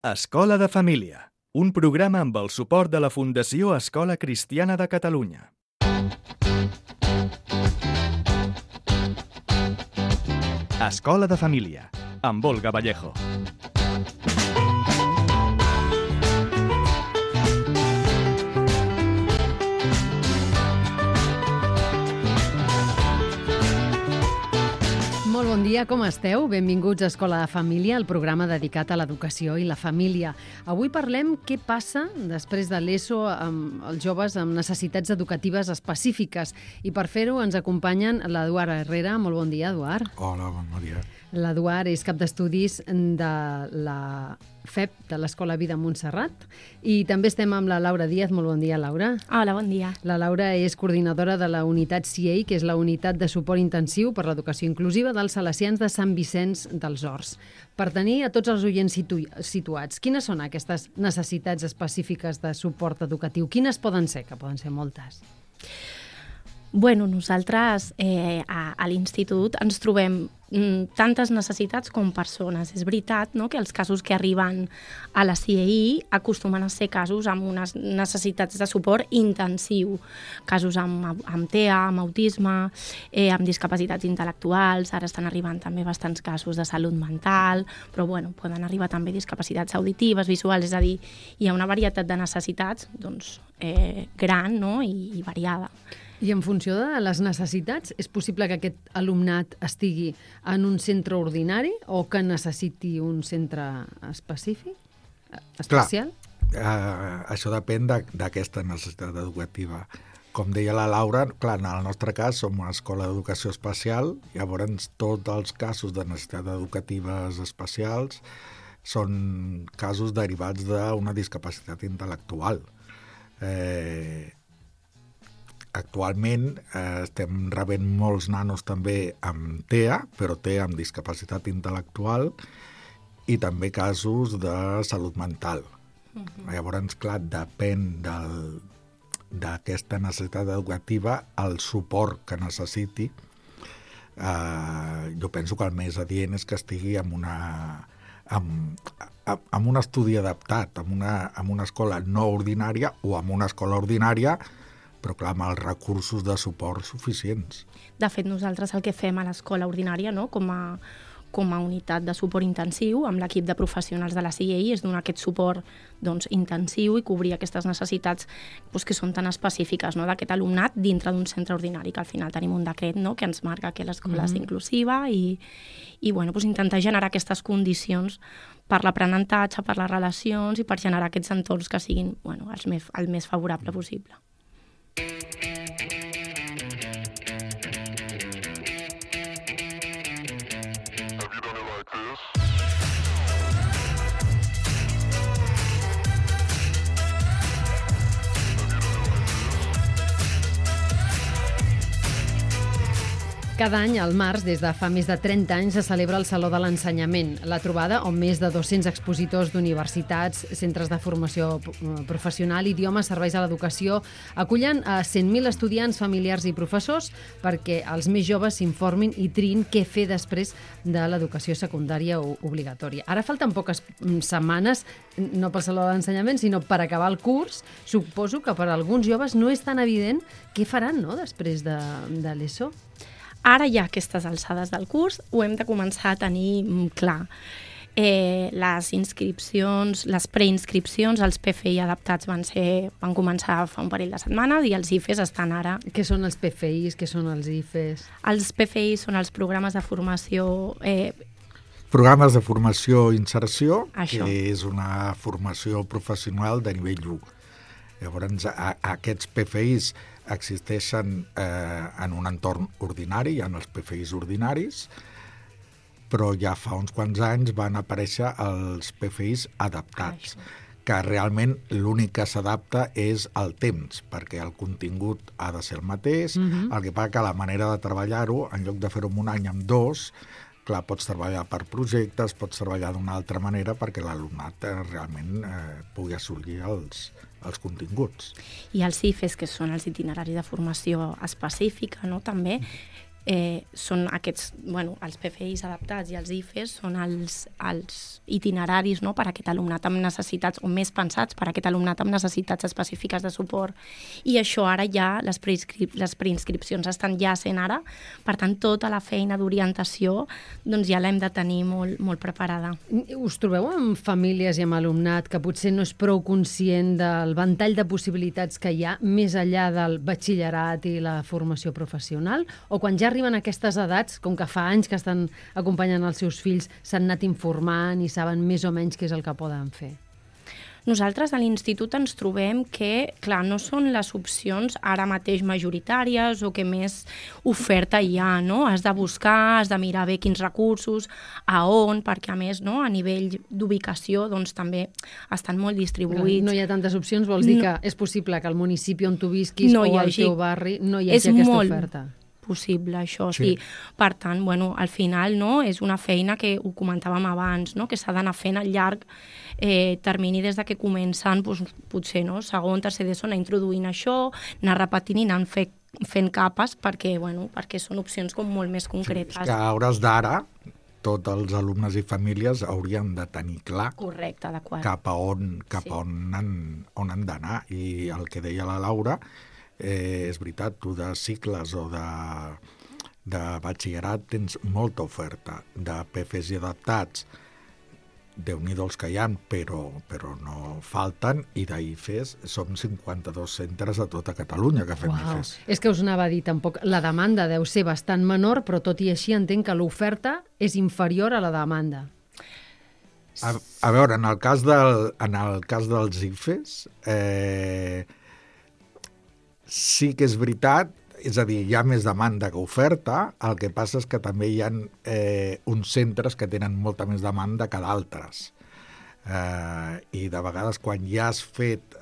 Escola de Família, un programa amb el suport de la Fundació Escola Cristiana de Catalunya. Escola de Família, amb Olga Vallejo. Molt bon dia, com esteu? Benvinguts a Escola de Família, el programa dedicat a l'educació i la família. Avui parlem què passa després de l'ESO amb els joves amb necessitats educatives específiques. I per fer-ho ens acompanyen l'Eduard Herrera. Molt bon dia, Eduard. Hola, bon dia. L'Eduard és cap d'estudis de la FEP, de l'Escola Vida Montserrat. I també estem amb la Laura Díaz. Molt bon dia, Laura. Hola, bon dia. La Laura és coordinadora de la unitat CIEI, que és la unitat de suport intensiu per l'educació inclusiva dels salesians de Sant Vicenç dels Horts. Per tenir a tots els oients situats, quines són aquestes necessitats específiques de suport educatiu? Quines poden ser? Que poden ser moltes. Bueno, nosaltres a l'institut ens trobem tantes necessitats com persones. És veritat, no?, que els casos que arriben a la CIEI acostumen a ser casos amb unes necessitats de suport intensiu, casos amb TEA, amb autisme, amb discapacitats intel·lectuals, ara estan arribant també bastants casos de salut mental, però bueno, poden arribar també discapacitats auditives, visuals, és a dir, hi ha una varietat de necessitats doncs, gran, no?, i variada. I en funció de les necessitats, és possible que aquest alumnat estigui en un centre ordinari o que necessiti un centre específic, especial? Clar, això depèn d'aquesta necessitat educativa. Com deia la Laura, clar, en el nostre cas som una escola d'educació especial, llavors tots els casos de necessitats educatives especials són casos derivats d'una discapacitat intel·lectual. Actualment estem rebent molts nanos també amb TEA, però TEA amb discapacitat intel·lectual, i també casos de salut mental. Llavors, clar, depèn d'aquesta necessitat educativa, el suport que necessiti. Jo penso que el més adient és que estigui amb un estudi adaptat, amb una escola no ordinària o amb una escola ordinària, però clar, amb els recursos de suport suficients. De fet, nosaltres el que fem a l'escola ordinària, no?, com a unitat de suport intensiu, amb l'equip de professionals de la CIEI, és donar aquest suport doncs, intensiu i cobrir aquestes necessitats doncs, que són tan específiques, no?, d'aquest alumnat dintre d'un centre ordinari, que al final tenim un decret, no?, que ens marca que l'escola és inclusiva i bueno, doncs, intentar generar aquestes condicions per l'aprenentatge, per les relacions i per generar aquests entorns que siguin bueno, el més favorable possible. Cada any, al març, des de fa més de 30 anys, se celebra el Saló de l'Ensenyament, la trobada on més de 200 expositors d'universitats, centres de formació professional, idiomes, serveis a l'educació, acullen a 100.000 estudiants, familiars i professors perquè els més joves s'informin i triïn què fer després de l'educació secundària obligatòria. Ara falten poques setmanes, no pel Saló de l'Ensenyament, sinó per acabar el curs. Suposo que per a alguns joves no és tan evident què faran, no?, després de l'ESO. Ara ja a aquestes alçades del curs ho hem de començar a tenir clar. Les inscripcions, les preinscripcions, els PFI adaptats van començar fa un parell de setmanes i els IFES estan ara. Què són els PFIs? Què són els IFES? Els PFI són els programes de formació... Programes de formació i inserció, Això. Que és una formació professional de nivell 1. Llavors, aquests PFIs existeixen en un entorn ordinari, hi ha els PFIs ordinaris, però ja fa uns quants anys van aparèixer els PFIs adaptats, que realment l'únic que s'adapta és el temps, perquè el contingut ha de ser el mateix, el que passa que la manera de treballar-ho, en lloc de fer-ho en un any, amb 2, clar, pots treballar per projectes, pots treballar d'una altra manera perquè l'alumnat realment pugui assolir els continguts. I els IFES, que són els itineraris de formació específica, no?, també, són aquests, els PFIs adaptats i els IFEs són els itineraris, no?, per a aquest alumnat amb necessitats, o més pensats per a aquest alumnat amb necessitats específiques de suport. I això ara ja, les preinscripcions estan ja sent ara, per tant, tota la feina d'orientació doncs ja l'hem de tenir molt, molt preparada. Us trobeu amb famílies i amb alumnat que potser no és prou conscient del ventall de possibilitats que hi ha més enllà del batxillerat i la formació professional? O quan ja arriben a aquestes edats, com que fa anys que estan acompanyant els seus fills, s'han anat informant i saben més o menys què és el que poden fer? Nosaltres a l'institut ens trobem que, clar, no són les opcions ara mateix majoritàries o que més oferta hi ha, no? Has de buscar, has de mirar bé quins recursos, a on, perquè a més, no?, a nivell d'ubicació, doncs també estan molt distribuïts. No hi ha tantes opcions, vols dir que és possible que al municipi on tu visquis o al teu barri no hi hagi aquesta oferta? Possible, això, sí. Per tant, al final, no, és una feina que ho comentàvem abans, no?, que s'ha d'anar fent al llarg termini des de que comencen, potser, no?, segon, tercer d'ESO, anar introduint això, anar repetint i anar fent capes perquè són opcions com molt més concretes. Sí, és que a hores d'ara tots els alumnes i famílies haurien de tenir clar correcte, adequat, cap a on han d'anar. I el que deia la Laura, és veritat, tu de cicles o de batxillerat tens molta oferta. De PFs i adaptats, Déu-n'hi-do els que hi ha, però no falten, i d'IFEs som 52 centres a tota Catalunya que fem IFEs. És que us anava a dir, tampoc la demanda deu ser bastant menor, però tot i així entenc que l'oferta és inferior a la demanda. A veure, en el cas dels IFEs, sí que és veritat, és a dir, hi ha més demanda que oferta, el que passa és que també hi ha uns centres que tenen molta més demanda que d'altres. I de vegades quan ja has fet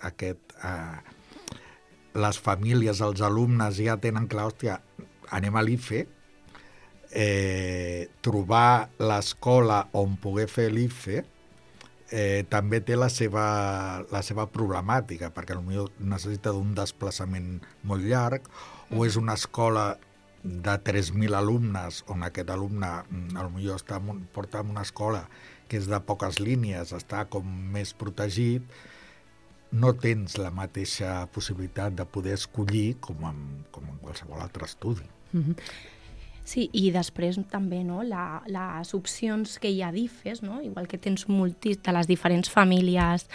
les famílies, els alumnes ja tenen clar, hòstia, anem a l'IFE, trobar l'escola on poder fer l'IFE també té la seva problemàtica, perquè potser necessita d'un desplaçament molt llarg, o és una escola de 3.000 alumnes, on aquest alumne potser porta en una escola que és de poques línies, està com més protegit, no tens la mateixa possibilitat de poder escollir com en qualsevol altre estudi. Sí, i després també, no, les opcions que hi ha d'IFEs, no? Igual que tens de les diferents famílies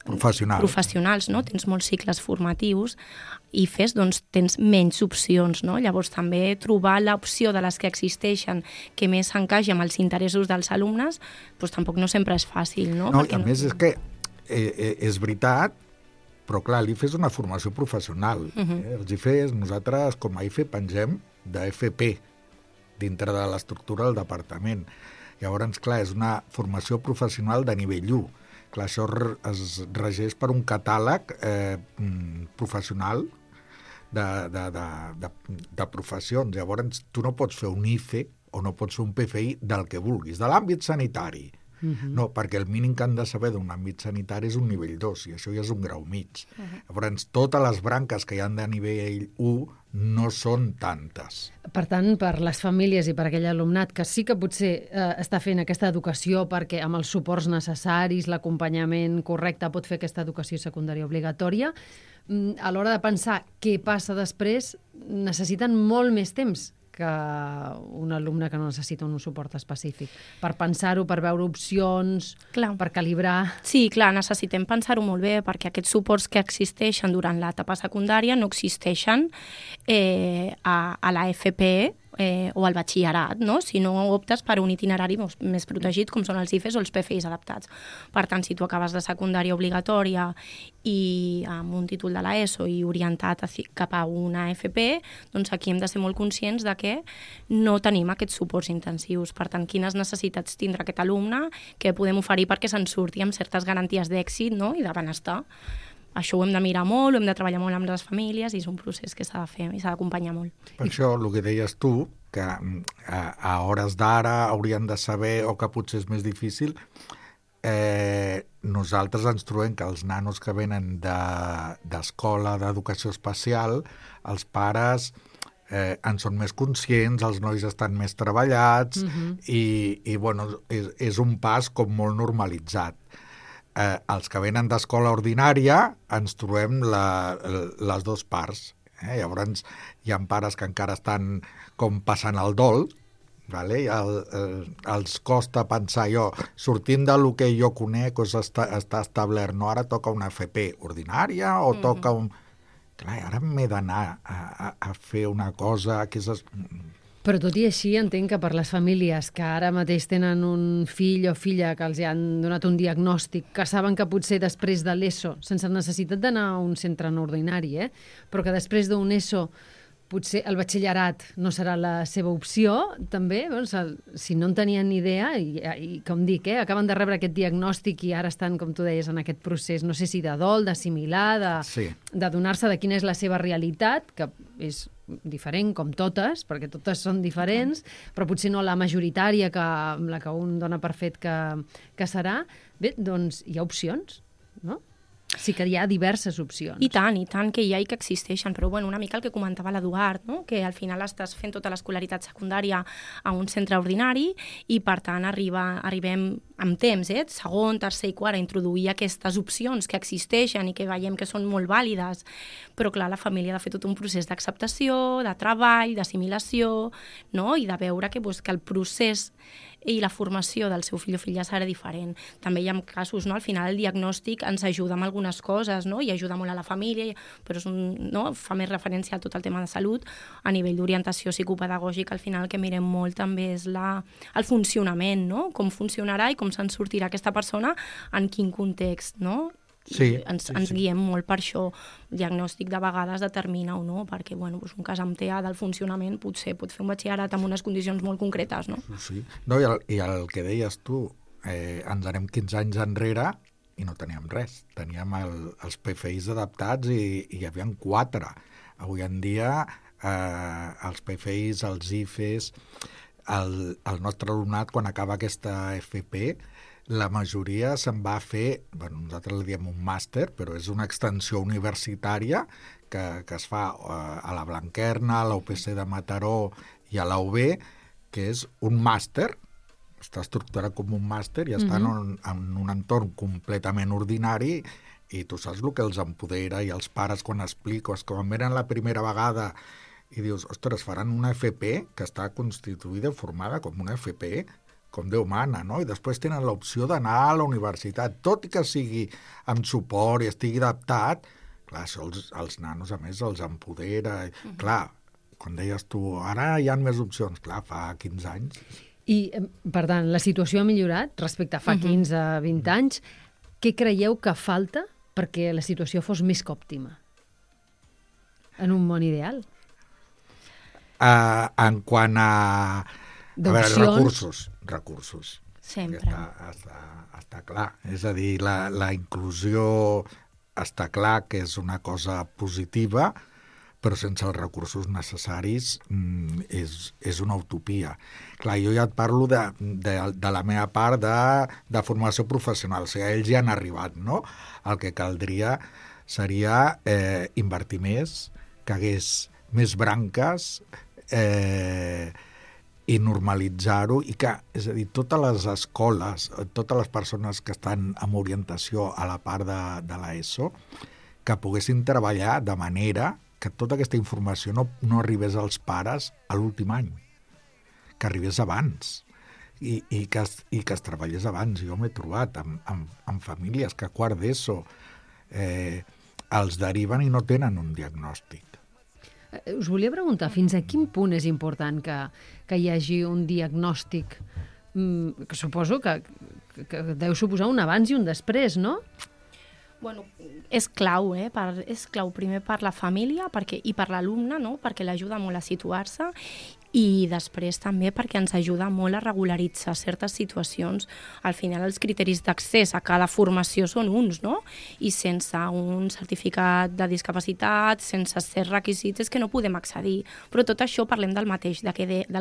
professionals, no? Tens molts cicles formatius, IFEs, doncs tens menys opcions, no? Llavors també trobar l'opció de les que existeixen que més s'encaixi amb els interessos dels alumnes, doncs tampoc no sempre és fàcil, no? No, i a més és que és veritat, però clar, l'IFE és una formació professional. Els IFEs, nosaltres com a IFE pengem d'FP dintre de l'estructura del departament. Llavors, clar, és una formació professional de nivell 1. Clar, això es regeix per un catàleg professional de professions. Llavors, tu no pots fer un IFE o no pots fer un PFI del que vulguis, de l'àmbit sanitari. No, perquè el mínim que han de saber d'un àmbit sanitari és un nivell 2, i això ja és un grau mig. Llavors, totes les branques que hi ha de nivell 1 no són tantes. Per tant, per les famílies i per aquell alumnat que sí que potser està fent aquesta educació perquè amb els suports necessaris, l'acompanyament correcte pot fer aquesta educació secundària obligatòria, a l'hora de pensar què passa després, necessiten molt més temps que un alumne que no necessita un suport específic. Per pensar-ho, per veure opcions, per calibrar... Sí, clar, necessitem pensar-ho molt bé, perquè aquests suports que existeixen durant l'etapa secundària no existeixen a la FP o al batxillerat, no? Si no optes per un itinerari més protegit, com són els IFEs o els PFIs adaptats. Per tant, si tu acabes de secundària obligatòria i amb un títol de l'ESO i orientat cap a una FP, doncs aquí hem de ser molt conscients de que no tenim aquests suports intensius. Per tant, quines necessitats tindrà aquest alumne, què podem oferir perquè se'n surti amb certes garanties d'èxit, no?, i de benestar. Això ho hem de mirar molt, ho hem de treballar molt amb les famílies i és un procés que s'ha de fer i s'ha d'acompanyar molt. Per això, el que deies tu, que a hores d'ara haurien de saber, o que potser és més difícil, nosaltres ens trobem que els nanos que venen d'escola d'educació especial, els pares en són més conscients, els nois estan més treballats i bueno, és un pas com molt normalitzat. Els que venen d'escola ordinària ens trobem les dues parts. Llavors hi ha pares que encara estan com passant el dol, vale? Els costa pensar sortint del que jo conec està establert, no, ara toca una FP ordinària o toca un... Clar, ara m'he d'anar a fer una cosa que és... Però tot i així entenc que per les famílies que ara mateix tenen un fill o filla que els han donat un diagnòstic, que saben que potser després de l'ESO, sense necessitat d'anar a un centre no ordinari, però que després d'un ESO potser el batxillerat no serà la seva opció, també, doncs, si no en tenien ni idea, i com dic, acaben de rebre aquest diagnòstic i ara estan, com tu deies, en aquest procés, no sé si de dol, d'assimilar, de donar-se de quina és la seva realitat, que és diferent com totes, perquè totes són diferents, però potser no la majoritària amb la que un dona per fet que serà. Bé, doncs hi ha opcions, no? Sí que hi ha diverses opcions. I tant que hi ha i que existeixen, però bueno, una mica el que comentava l'Eduard, no? Que al final estàs fent tota l'escolaritat secundària a un centre ordinari i per tant arribem amb temps, segon, tercer i quart, a introduir aquestes opcions que existeixen i que veiem que són molt vàlides, però clar, la família ha de fer tot un procés d'acceptació, de treball, d'assimilació, no? I de veure que el procés i la formació del seu fill o filla serà diferent. També hi ha casos, no? Al final el diagnòstic ens ajuda amb algunes coses, no? I ajuda molt a la família, però fa més referència a tot el tema de salut. A nivell d'orientació psicopedagògica, al final el que mirem molt també és el funcionament, no? Com funcionarà i com se'n sortirà aquesta persona, en quin context, no? Sí, ens guiem molt per això. El diagnòstic de vegades determina o no, perquè un cas amb TEA del funcionament potser pot fer un batxillerat amb unes condicions molt concretes, no? Sí. No, i el que deies tu, ens anem 15 anys enrere i no teníem res. Teníem els PFIs adaptats i hi havia 4. Avui en dia els PFIs, els IFEs, el nostre alumnat quan acaba aquesta FP, la majoria se'n va a fer, nosaltres li diem un màster, però és una extensió universitària que es fa a la Blanquerna, a la UPC de Mataró i a la UB, que és un màster, està estructurat com un màster i està en un entorn completament ordinari i tu saps el que els empodera i els pares quan expliques, quan venen la primera vegada i dius, ostres, faran una FP que està constituïda, formada com una FP, com Déu mana, no? I després tenen l'opció d'anar a la universitat, tot i que sigui amb suport i estigui adaptat, clar, això els nanos, a més, els empodera. Clar, quan deies tu, ara hi ha més opcions, clar, fa 15 anys. I, per tant, la situació ha millorat respecte a fa 15-20 anys. Què creieu que falta perquè la situació fos més que òptima? En un món ideal? En quant a... A veure, recursos. Sempre. Està clar. És a dir, la inclusió està clar que és una cosa positiva, però sense els recursos necessaris és una utopia. Clar, jo ja et parlo de la meva part de formació professional. O sigui, ells ja han arribat, no? El que caldria seria invertir més, que hagués més branques, i normalitzar-ho, i que, és a dir, totes les escoles, totes les persones que estan amb orientació a la part de l'ESO, que poguessin treballar de manera que tota aquesta informació no arribés als pares a l'últim any, que arribés abans, i que es treballés abans. Jo m'he trobat amb famílies que a quart d'ESO els deriven i no tenen un diagnòstic. Us volia preguntar, fins a quin punt és important que hi hagi un diagnòstic que suposo que deu suposar un abans i un després, no? Bueno, és clau, és clau primer per la família i per l'alumne, no? Perquè l'ajuda molt a situar-se, i després també perquè ens ajuda molt a regularitzar certes situacions. Al final els criteris d'accés a cada formació són uns, no? I sense un certificat de discapacitat, sense certs requisits, és que no podem accedir. Però tot això parlem del mateix, del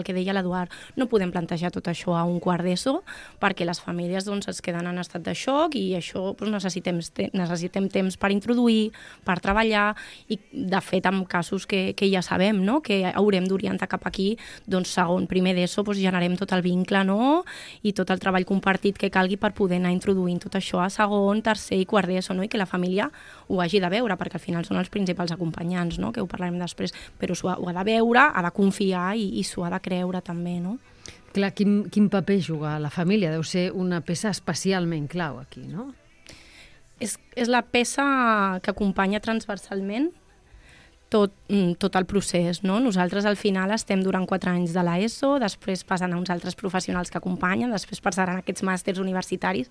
que deia l'Eduard. No podem plantejar tot això a un quart d'ESO perquè les famílies doncs, es queden en estat de xoc i això doncs, necessitem temps per introduir, per treballar i de fet en casos que ja sabem, no? Que haurem d'orientar cap aquí, doncs segon, primer d'ESO, doncs generem tot el vincle, no? I tot el treball compartit que calgui per poder anar introduint tot això a segon, tercer i quart d'ESO, no? I que la família ho hagi de veure, perquè al final són els principals acompanyants, no? Que ho parlarem després, però ho ha de veure, ha de confiar i s'ho ha de creure també, no? Clar, quin paper juga la família? Deu ser una peça especialment clau aquí, no? És la peça que acompanya transversalment tot el procés, no? Nosaltres al final estem durant 4 anys de l'ESO, després passen a uns altres professionals que acompanyen, després passaran aquests màsters universitaris,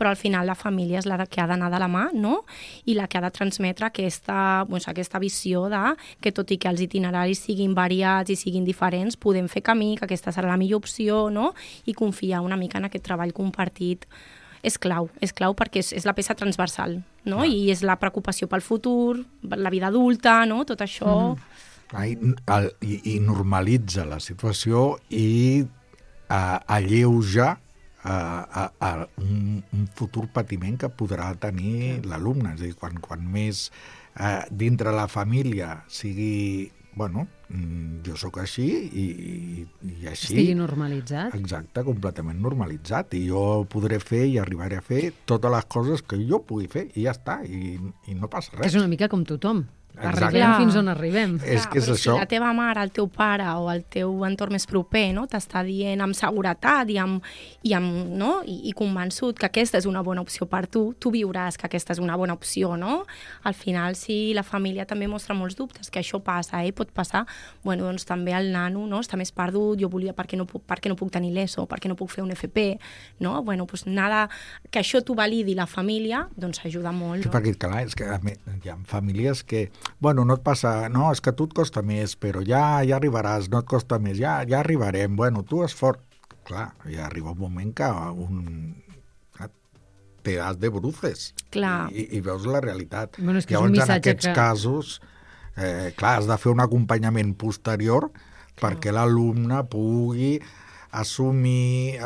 però al final la família és la que ha d'anar de la mà, no? I la que ha de transmetre aquesta visió de que tot i que els itineraris siguin variats i siguin diferents, podem fer camí, que aquesta serà la millor opció, no? I confiar una mica en aquest treball compartit. És clau perquè és la peça transversal, no? I és la preocupació pel futur, la vida adulta, no? Tot això... I normalitza la situació i alleuja un futur patiment que podrà tenir l'alumne. És a dir, quan més dintre la família sigui... Bueno, jo sóc així i així... Estigui normalitzat. Exacte, completament normalitzat. I jo podré fer i arribaré a fer totes les coses que jo pugui fer i ja està, i no passa res. Que és una mica com tothom. Exacte. Arribem fins on arribem. És que és això. Si la teva mare, el teu pare o el teu entorn més proper, no, t'està dient amb seguretat i convençut que aquesta és una bona opció per tu viuràs que aquesta és una bona opció, no? Al final, si la família també mostra molts dubtes, que això passa, pot passar, bueno, doncs també el nano, no, està més perdut, jo volia, per què no puc tenir l'ESO, per què no puc fer un FP, no? Bueno, doncs nada, que això t'ho validi la família, doncs ajuda molt. Sí, perquè, clar, és que hi ha famílies que bueno, no et passa, no, és que a tu et costa més, però ja arribaràs, no et costa més, ja arribarem, bueno, tu és fort. Clar, ja arriba un moment que te das de bruces i veus la realitat. Bueno, és que llavors, és un missatge en aquests casos, clar, has de fer un acompanyament posterior perquè l'alumne pugui assumir...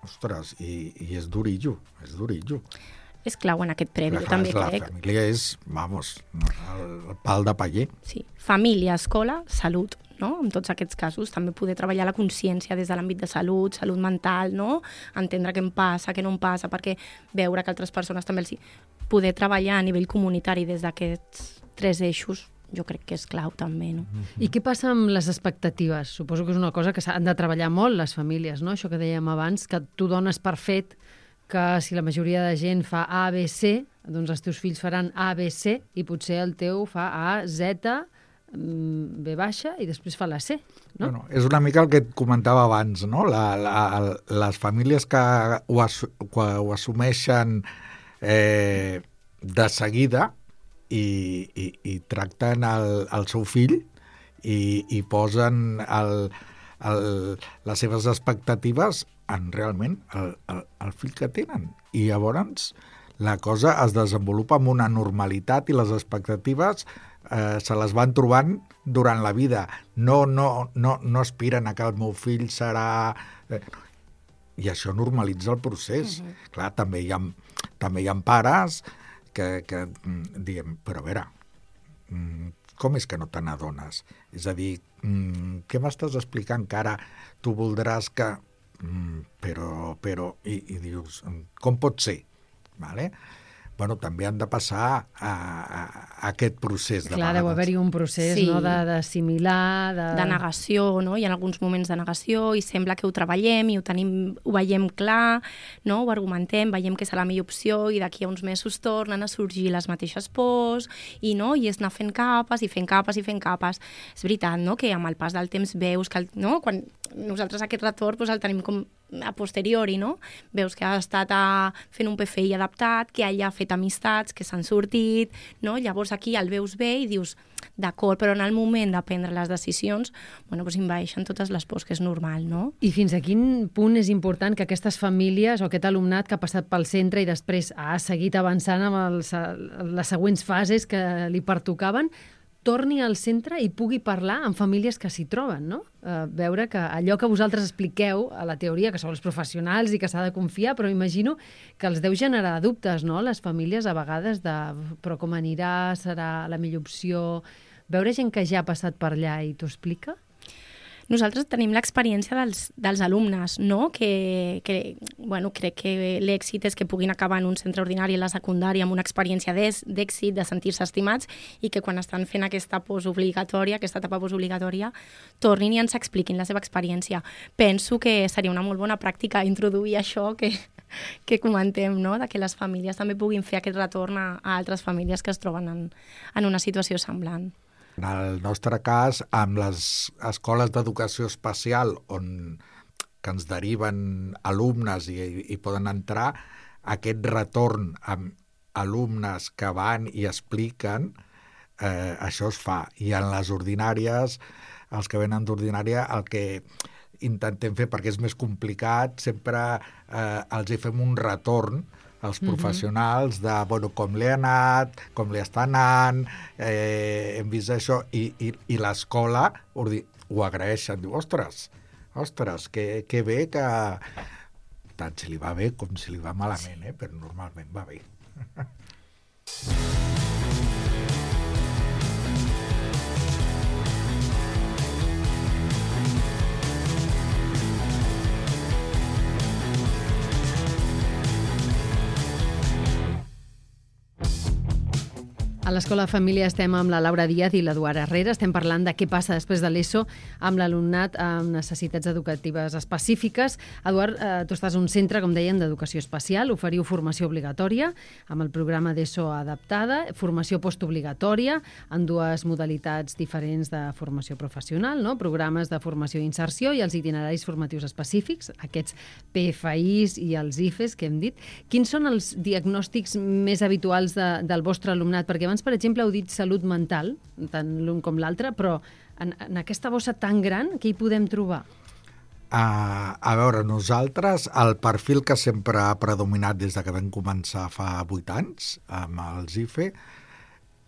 ostres, i és durillo, és durillo. És clau en aquest previ, jo també crec. La família és, vamos, el pal de paller. Sí, família, escola, salut, no? En tots aquests casos també poder treballar la consciència des de l'àmbit de salut mental, no? Entendre què em passa, què no em passa, perquè veure que altres persones també els... Poder treballar a nivell comunitari des d'aquests 3 eixos jo crec que és clau també, no? I què passa amb les expectatives? Suposo que és una cosa que s'han de treballar molt les famílies, no? Això que dèiem abans, que tu dones per fet que si la majoria de gent fa A, B, C, doncs els teus fills faran A, B, C i potser el teu fa A, Z, B baixa i després fa la C, no? Bueno, és una mica el que et comentava abans, no? Les famílies que ho assumeixen de seguida i tracten el seu fill i posen les seves expectatives en realment el fill que tenen. I llavors la cosa es desenvolupa amb una normalitat i les expectatives se les van trobant durant la vida. No aspiren a que el meu fill serà... I això normalitza el procés. Clar, també hi ha pares que diguem, però a veure, com és que no te n'adones? És a dir, què m'estàs explicant que ara tu voldràs que... Però i dius, com pot ser? Vale? Bueno, també han de passar a aquest procés. Clar, deu haver-hi un procés, sí, no? D'assimilar... De negació, no? Hi ha alguns moments de negació i sembla que ho treballem i ho veiem clar, no? Ho argumentem, veiem que és la millor opció i d'aquí a uns mesos tornen a sorgir les mateixes pors i és anar fent capes i fent capes i fent capes. És veritat, no? Que amb el pas del temps veus que... No? Quan nosaltres aquest retorn el tenim com a posteriori, no? Veus que ha estat fent un PFI adaptat, que ella ha fet amistats, que s'han sortit, no? Llavors aquí el veus bé i dius, d'acord, però en el moment de prendre les decisions, bueno, doncs envaeixen totes les pors, que és normal, no? I fins a quin punt és important que aquestes famílies o aquest alumnat que ha passat pel centre i després ha seguit avançant amb les següents fases que li pertocaven, torni al centre i pugui parlar amb famílies que s'hi troben, no? Veure que allò que vosaltres expliqueu a la teoria, que sou els professionals i que s'ha de confiar, però imagino que els deu generar dubtes, no?, les famílies a vegades de però com anirà, serà la millor opció... Veure gent que ja ha passat per allà i t'ho explica? Nosaltres tenim l'experiència dels alumnes, no? Bueno, crec que l'èxit és que puguin acabar en un centre ordinari a la secundària amb una experiència d'èxit, de sentir-se estimats, i que quan estan fent aquesta etapa postobligatòria, tornin i ens expliquin la seva experiència. Penso que seria una molt bona pràctica introduir això que comentem, no?, de que les famílies també puguin fer aquest retorn a altres famílies que es troben en una situació semblant. En el nostre cas, amb les escoles d'educació especial que ens deriven alumnes i poden entrar, aquest retorn amb alumnes que van i expliquen, això es fa. I en les ordinàries, els que venen d'ordinària, el que intentem fer, perquè és més complicat, sempre els hi fem un retorn als professionals de com li ha anat, com li està anant, hem vist això, i l'escola ho agraeixen, diu, ostres, que bé que tant si li va bé com si li va malament, però normalment va bé. A l'Escola de Família estem amb la Laura Díaz i l'Eduard Herrera. Estem parlant de què passa després de l'ESO amb l'alumnat amb necessitats educatives específiques. Eduard, tu estàs en un centre, com dèiem, d'educació especial. Oferiu formació obligatòria amb el programa d'ESO adaptada, formació postobligatòria en dues modalitats diferents de formació professional, no? Programes de formació i inserció i els itineraris formatius específics, aquests PFIs i els IFEs que hem dit. Quins són els diagnòstics més habituals del vostre alumnat? Perquè abans, per exemple, heu dit salut mental, tant l'un com l'altre, però en aquesta bossa tan gran, què hi podem trobar? A veure, nosaltres, el perfil que sempre ha predominat des que vam començar fa 8 anys amb els IFE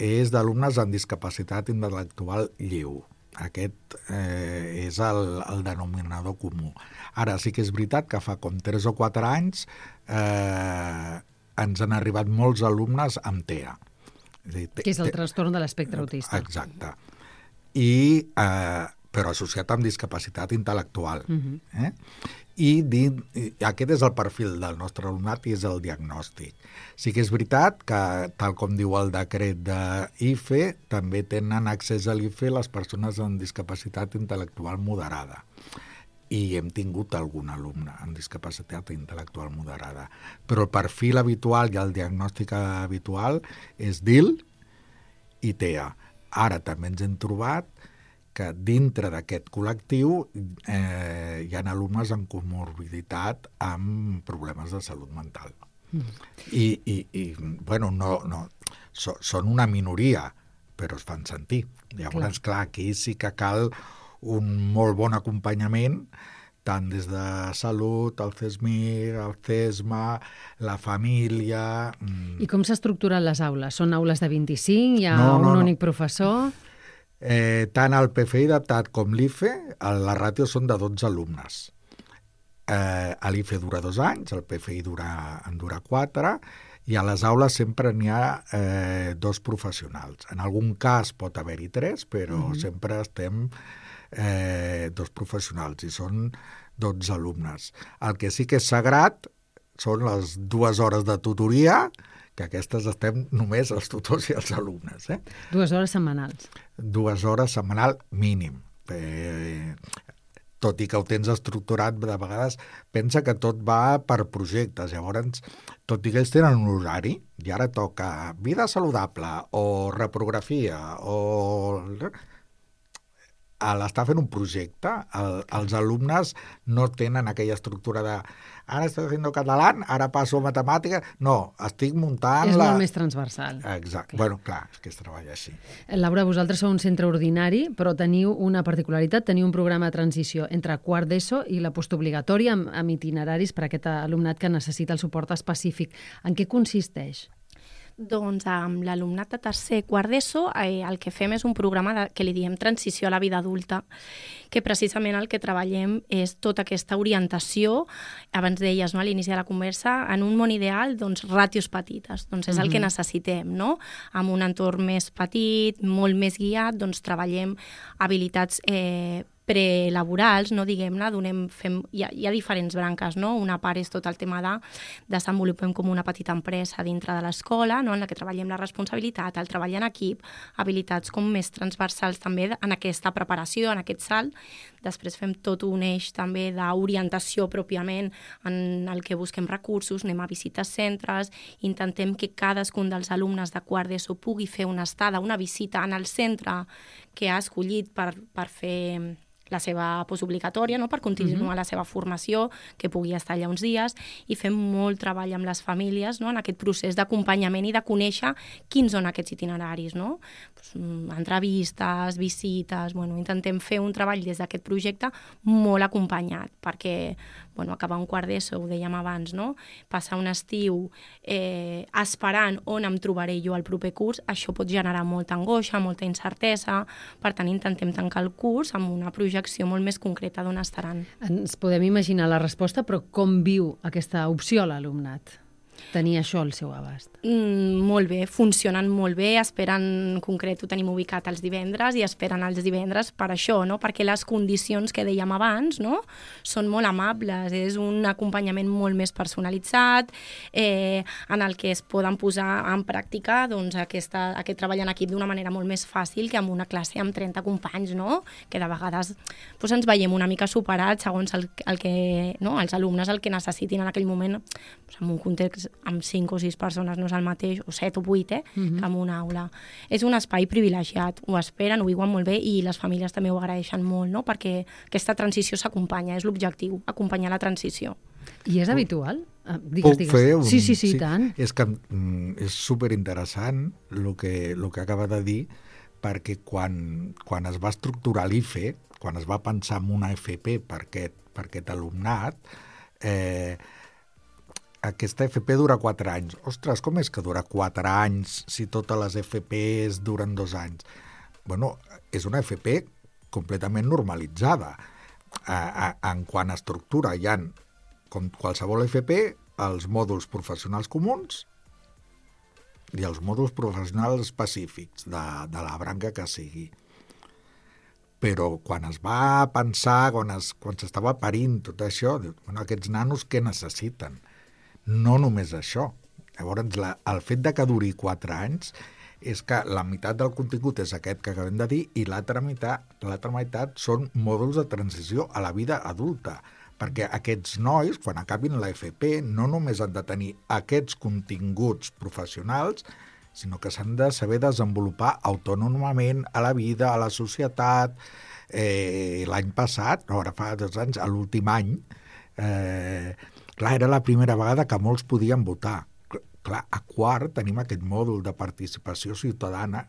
és d'alumnes amb discapacitat intel·lectual lleu. Aquest és el denominador comú. Ara, sí que és veritat que fa com 3 o 4 anys ens han arribat molts alumnes amb TEA. Que és el trastorn de l'espectre autista. Exacte. Però associat amb discapacitat intel·lectual. I aquest és el perfil del nostre alumnat i és el diagnòstic. Sí que és veritat que, tal com diu el decret d'IFE, també tenen accés a l'IFE les persones amb discapacitat intel·lectual moderada. I hem tingut algun alumne amb discapacitat intel·lectual moderada. Però el perfil habitual i el diagnòstic habitual és DIL i TEA. Ara també ens hem trobat que dintre d'aquest col·lectiu hi ha alumnes amb comorbiditat amb problemes de salut mental. Són una minoria, però es fan sentir. Llavors, clar, aquí sí que cal un molt bon acompanyament, tant des de salut, el CESMIR, el CESMA, la família... I com s'estructuren les aules? Són aules de 25? Hi ha un únic professor? Tant el PFI adaptat com l'IFE, la ràtio són de 12 alumnes. L'IFE dura 2 anys, el PFI en dura 4, i a les aules sempre n'hi ha 2 professionals. En algun cas pot haver-hi 3, però sempre estem 2 professionals i són 12 alumnes. El que sí que és sagrat són les 2 hores de tutoria, que aquestes estem només els tutors i els alumnes. 2 hores setmanals. 2 hores setmanal mínim. Tot i que ho tens estructurat, de vegades pensa que tot va per projectes. Llavors, tot i que ells tenen un horari, i ara toca vida saludable o reprografia o... a l'estar fent un projecte, els alumnes no tenen aquella estructura de ara estic fent català, ara passo a matemàtica. No, estic muntant... És molt més transversal. Exacte. Bueno, clar, és que es treballa així. Laura, vosaltres sou un centre ordinari, però teniu una particularitat, teniu un programa de transició entre quart d'ESO i la postobligatòria amb itineraris per a aquest alumnat que necessita el suport específic. En què consisteix? Doncs amb l'alumnat de tercer, quart d'ESO, el que fem és un programa que li diem transició a la vida adulta, que precisament el que treballem és tota aquesta orientació, abans deies, no, a l'inici de la conversa, en un món ideal, doncs, ràtios petites. Doncs és el que necessitem, no? Amb un entorn més petit, molt més guiat, doncs treballem habilitats prelaborals, no, diguem-ne, hi ha diferents branques, no? Una part és tot el tema de desenvolupem com una petita empresa dintre de l'escola, no? En la que treballem la responsabilitat, el treball en equip, habilitats com més transversals també en aquesta preparació, en aquest salt. Després fem tot un eix també d'orientació pròpiament en el que busquem recursos, anem a visites centres, intentem que cadascun dels alumnes de quart d'ESO pugui fer una estada, una visita en el centre que ha escollit per fer la seva postobligatòria, no? Per continuar la seva formació, que pugui estar allà uns dies, i fem molt treball amb les famílies, no? En aquest procés d'acompanyament i de conèixer quins són aquests itineraris, no? Entrevistes, visites, intentem fer un treball des d'aquest projecte molt acompanyat, perquè acabar un quart d'ESO, ho dèiem abans, no? Passar un estiu esperant on em trobaré jo el proper curs, això pot generar molta angoixa, molta incertesa, per tant intentem tancar el curs amb una projecció molt més concreta d'on estaran. Ens podem imaginar la resposta, però com viu aquesta opció l'alumnat? Tenir això al seu abast. Molt bé, funcionen molt bé, esperen, en concret ho tenim ubicat els divendres i esperen els divendres per això, no? Perquè les condicions que dèiem abans, no? Són molt amables, és un acompanyament molt més personalitzat, en el que es poden posar en pràctica doncs, aquest treball en equip d'una manera molt més fàcil que amb una classe amb 30 companys, no? Que de vegades doncs, ens veiem una mica superats segons el que, no? Els alumnes el que necessitin en aquell moment, doncs, en un context amb 5 o 6 persones no és el mateix, o 7 o 8, que en una aula. És un espai privilegiat, ho esperen, ho viuen molt bé i les famílies també ho agraeixen molt, no? Perquè aquesta transició s'acompanya, és l'objectiu, acompanyar la transició. I és habitual? Puc fer un... Sí, tant. És que és superinteressant el que acaba de dir, perquè quan es va estructurar l'IFE, quan es va pensar en una FP per aquest alumnat, aquesta FP dura 4 anys. Ostres, com és que dura 4 anys si totes les FPs duren 2 anys? És una FP completament normalitzada. En quant a estructura, hi ha, com qualsevol FP, els mòduls professionals comuns i els mòduls professionals específics de la branca que sigui. Però quan es va pensar, quan s'estava parint tot això, aquests nanos què necessiten? No només això. Llavors, el fet de que duri 4 anys és que la meitat del contingut és aquest que acabem de dir i l'altra meitat són mòduls de transició a la vida adulta, perquè aquests nois, quan acabin la FP, no només han de tenir aquests continguts professionals, sinó que s'han de saber desenvolupar autònomament a la vida, a la societat. L'any passat, ara fa 2 anys, a l'últim any, clar, era la primera vegada que molts podien votar. Clar, a quart tenim aquest mòdul de participació ciutadana,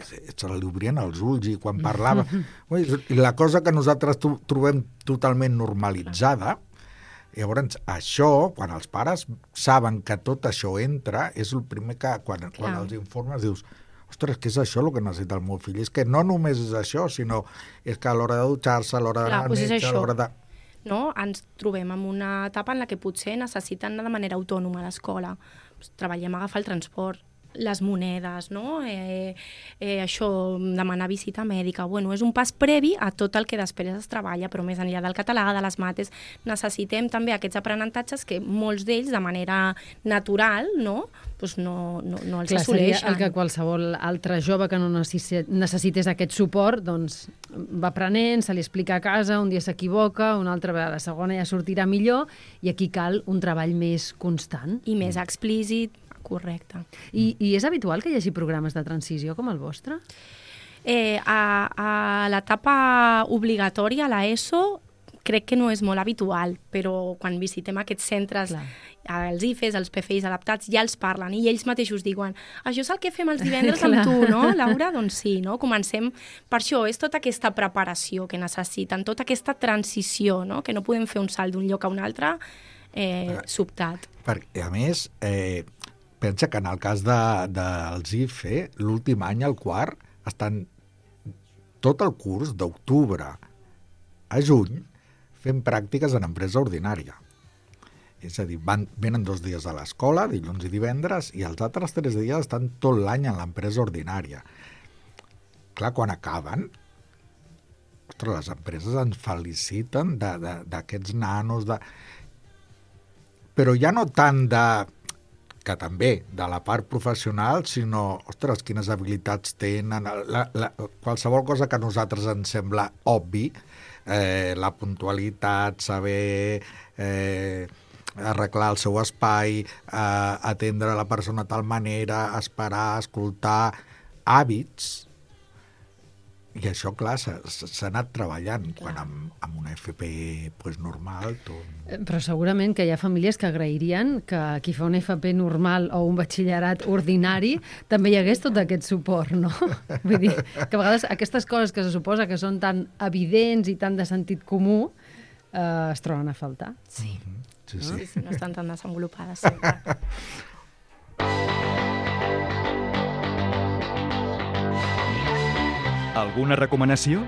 se li obrien els ulls i quan parlava... I la cosa que nosaltres trobem totalment normalitzada, llavors això, quan els pares saben que tot això entra, és el primer que quan els informes dius ostres, què és això el que necessita el meu fill? És que no només és això, sinó és que a l'hora de dutxar-se, a l'hora d'anar al metge, a l'hora de... No? Ens trobem en una etapa en la que potser necessiten anar de manera autònoma a l'escola. Treballem a agafar el transport, les monedes, no? Això, demanar visita mèdica. És un pas previ a tot el que després es treballa, però més enllà del català, de les mates, necessitem també aquests aprenentatges que molts d'ells, de manera natural, no els assoleixen. Seria el que qualsevol altre jove que no necessités aquest suport, doncs va aprenent, se li explica a casa, un dia s'equivoca, una altra vegada, la segona ja sortirà millor, i aquí cal un treball més constant. I més explícit. Correcte. I és habitual que hi hagi programes de transició com el vostre? A l'etapa obligatòria, a l'ESO, crec que no és molt habitual, però quan visitem aquests centres, els IFES, els PFIs adaptats, ja els parlen i ells mateixos diuen això és el que fem els divendres amb tu, no, Laura? Doncs sí, no? Comencem per això, és tota aquesta preparació que necessiten, tota aquesta transició, no? Que no podem fer un salt d'un lloc a un altre sobtat. Perquè, a més, pensa que en el cas dels IFE, l'últim any, el quart, estan tot el curs d'octubre a juny fent pràctiques en empresa ordinària. És a dir, venen 2 dies a l'escola, dilluns i divendres, i els altres 3 dies estan tot l'any en l'empresa ordinària. Clar, quan acaben, ostres, les empreses ens feliciten d'aquests nanos, però ja no tant que també, de la part professional, sinó, ostres, quines habilitats tenen, qualsevol cosa que a nosaltres ens sembla obvi, la puntualitat, saber arreglar el seu espai, atendre la persona de tal manera, esperar, escoltar, hàbits. I això, clar, s'ha anat treballant, quan amb una FP normal... Però segurament que hi ha famílies que agrairien que qui fa una FP normal o un batxillerat ordinari també hi hagués tot aquest suport, no? Vull dir, que a vegades aquestes coses que se suposa que són tan evidents i tan de sentit comú es troben a faltar. Sí. Sí. Sí, no estan tan desenvolupades sempre. Alguna recomanació?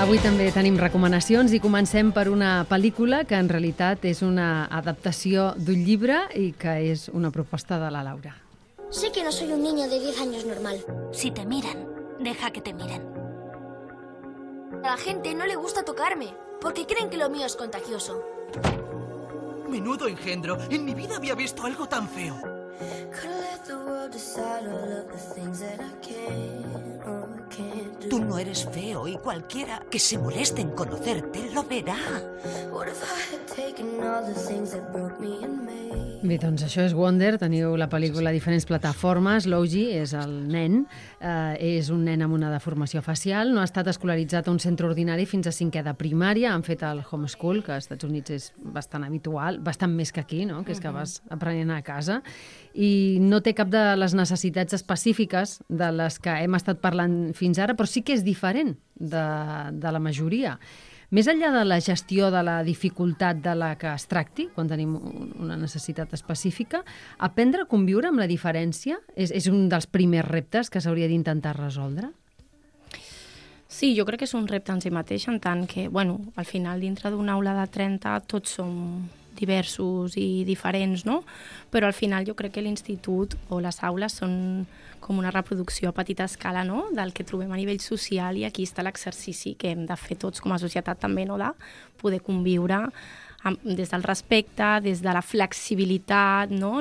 Avui també tenim recomanacions i comencem per una pel·lícula que en realitat és una adaptació d'un llibre i que és una proposta de la Laura. Sé que no soy un niño de 10 años normal. Si te miran, deja que te miren. A la gente no le gusta tocarme, porque creen que lo mío es contagioso. Menudo engendro. En mi vida había visto algo tan feo. Tú no eres feo y cualquiera que se moleste en conocerte lo verá. Bé, doncs això és Wonder, teniu la pel·lícula a diferents plataformes. Louji és el nen, és un nen amb una deformació facial, no ha estat escolaritzat a un centre ordinari fins a 5è de primària, han fet el homeschool, que als Estats Units és bastant habitual, bastant més que aquí, no? Que és que vas aprenent a casa, i no té cap de les necessitats específiques de les que hem estat parlant fins ara, però sí que és diferent de la majoria. Més enllà de la gestió de la dificultat de la que es tracti, quan tenim una necessitat específica, aprendre a conviure amb la diferència és un dels primers reptes que s'hauria d'intentar resoldre? Sí, jo crec que és un repte en si mateix, en tant que, bueno, al final, dintre d'una aula de 30, tots som diversos i diferents, no? Però al final jo crec que l'institut o les aules són com una reproducció a petita escala, no?, del que trobem a nivell social, i aquí està l'exercici que hem de fer tots com a societat també, no?, de poder conviure des del respecte, des de la flexibilitat, no?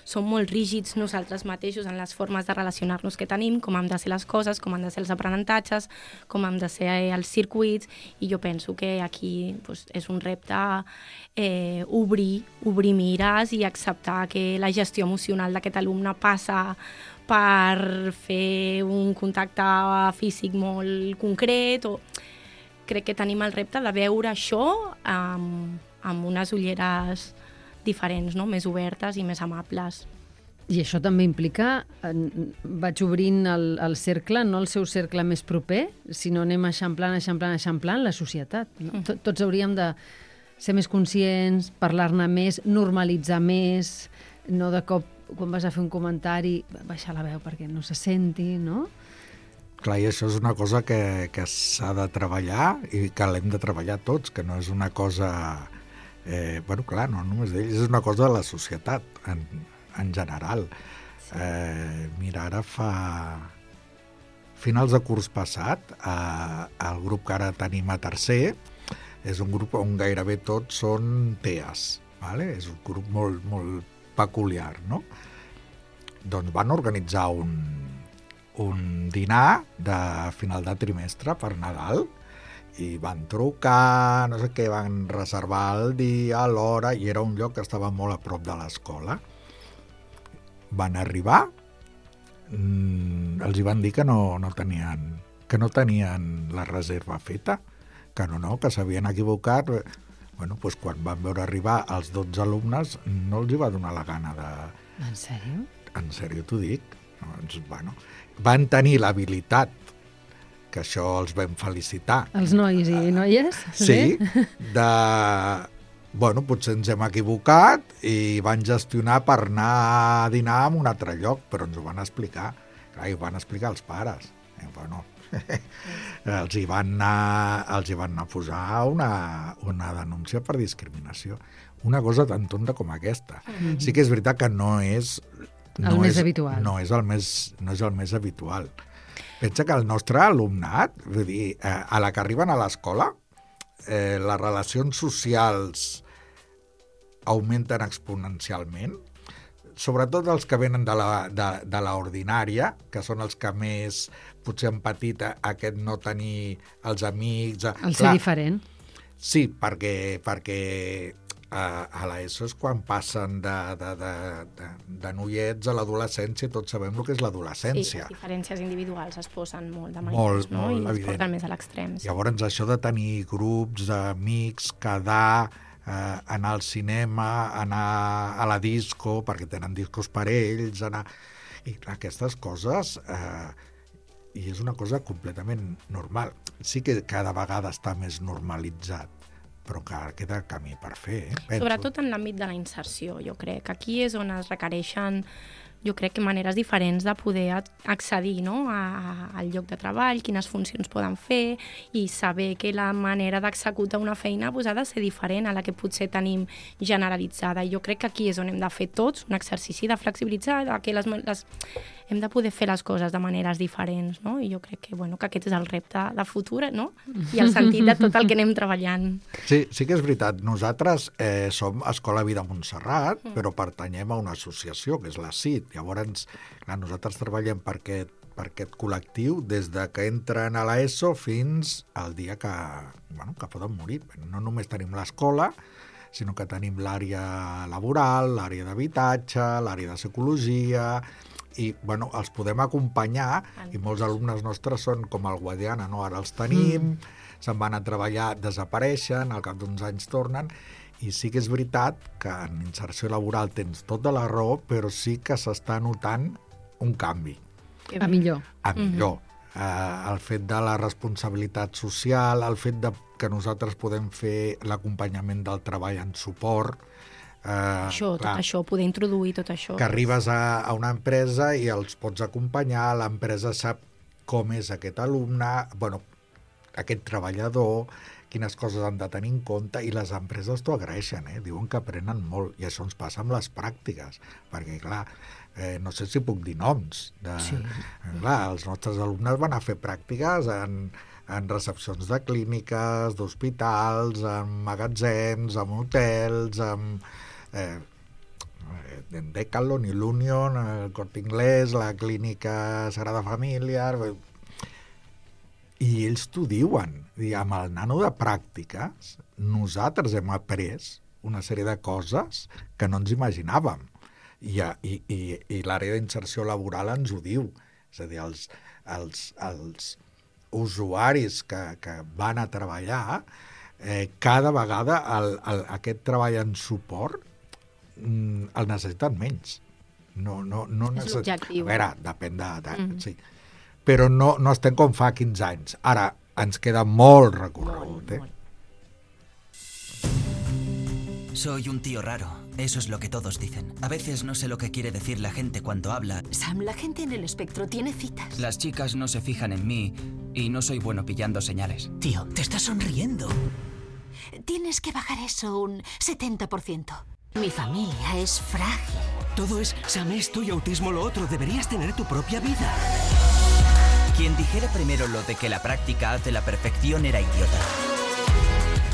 Som molt rígids nosaltres mateixos en les formes de relacionar-nos que tenim, com han de ser les coses, com han de ser els aprenentatges, com han de ser els circuits, i jo penso que aquí és un repte obrir mires i acceptar que la gestió emocional d'aquest alumne passa per fer un contacte físic molt concret, o crec que tenim el repte de veure això amb unes ulleres diferents, no? Més obertes i més amables. I això també implica, vaig obrint el cercle, no el seu cercle més proper, sinó anem eixamplant la societat. No? Tots hauríem de ser més conscients, parlar-ne més, normalitzar més, no de cop, quan vas a fer un comentari, baixar la veu perquè no se senti, no? Clar, i això és una cosa que s'ha de treballar i que l'hem de treballar tots, que no és una cosa... clar, no només d'ells, és una cosa de la societat en general. Sí. Mira, ara finals de curs passat, el grup que ara tenim a tercer és un grup on gairebé tots són TEAs, vale? És un grup molt, molt peculiar, no? Doncs van organitzar un dinar de final de trimestre per Nadal, i van trucar, no sé què, van reservar el dia, l'hora, i era un lloc que estava molt a prop de l'escola. Van arribar, els hi van dir que no tenien la reserva feta, que que s'havien equivocat. Bueno, doncs quan van veure arribar els 12 alumnes no els hi va donar la gana de... En sèrio? En sèrio t'ho dic. Doncs, bueno, van tenir l'habilitat, que això els vam felicitar. Els nois i noies? Sí, bueno, potser ens hem equivocat i van gestionar per anar a dinar a un altre lloc, però ens ho van explicar. Clar, i ho van explicar els pares. Bueno, els hi van anar a posar una denúncia per discriminació. Una cosa tan tonta com aquesta. Sí que és veritat que no és el més habitual. No és el més habitual. Pensa que el nostre alumnat, vull dir, a la que arriben a l'escola, les relacions socials augmenten exponencialment, sobretot els que venen de la ordinària, que són els que més potser han patit aquest no tenir els amics... El ser diferent. Sí, perquè a l'ESO és quan passen de noiets a l'adolescència, tots sabem el que és l'adolescència. Sí, les diferències individuals es posen molt de manifest, no? I es porten més a l'extrem. Sí. Llavors, això de tenir grups d'amics, quedar, anar al cinema, anar a la disco, perquè tenen discos per ells, i aquestes coses... I és una cosa completament normal. Sí que cada vegada està més normalitzat, però encara queda camí per fer, penso. Sobretot en l'àmbit de la inserció, jo crec. Aquí és on es requereixen, jo crec que maneres diferents de poder accedir, no?, al lloc de treball, quines funcions poden fer, i saber que la manera d'executar una feina ha de ser diferent a la que potser tenim generalitzada. I jo crec que aquí és on hem de fer tots un exercici de flexibilitzar, que hem de poder fer les coses de maneres diferents, no? I jo crec que aquest és el repte de futur, no? I el sentit de tot el que anem treballant. Sí que és veritat. Nosaltres som Escola Vida Montserrat, però pertanyem a una associació, que és la CIT. Llavors, nosaltres treballem per aquest col·lectiu des de que entren a l'ESO fins al dia que poden morir. No només tenim l'escola, sinó que tenim l'àrea laboral, l'àrea d'habitatge, l'àrea de psicologia... I els podem acompanyar, i molts alumnes nostres són com el Guadiana, no? Ara els tenim, se'n van a treballar, desapareixen, al cap d'uns anys tornen, i sí que és veritat que en inserció laboral tens tota la raó, però sí que s'està notant un canvi. A millor. A millor. El fet de la responsabilitat social, el fet que nosaltres podem fer l'acompanyament del treball en suport, tot això, poder introduir tot això. Que arribes a una empresa i els pots acompanyar, l'empresa sap com és aquest alumne, aquest treballador, quines coses han de tenir en compte, i les empreses t'ho agraeixen, diuen que aprenen molt, i això ens passa amb les pràctiques, perquè, clar, no sé si puc dir noms. Clar, els nostres alumnes van a fer pràctiques en recepcions de clíniques, d'hospitals, en magatzems, en hotels, en Decathlon i l'Union, el Corte Inglés, la clínica Sagrada Família... I ells t'ho diuen. Amb el nano de pràctiques, nosaltres hem après una sèrie de coses que no ens imaginàvem. I l'àrea d'inserció laboral ens ho diu. És a dir, els usuaris que van a treballar, cada vegada aquest treball en suport el necessiten menys. No és l'objectiu. A veure, depèn sí. Però no estem com fa 15 anys. Ara, ens queda molt recorregut, Soy un tío raro. Eso es lo que todos dicen. A veces no sé lo que quiere decir la gente cuando habla. Sam, la gente en el espectro tiene citas. Las chicas no se fijan en mí y no soy bueno pillando señales. Tío, te estás sonriendo. Tienes que bajar eso un 70%. Mi familia es frágil. Todo es Sam, esto y autismo lo otro. Deberías tener tu propia vida. Quien dijera primero lo de que la práctica hace la perfección era idiota.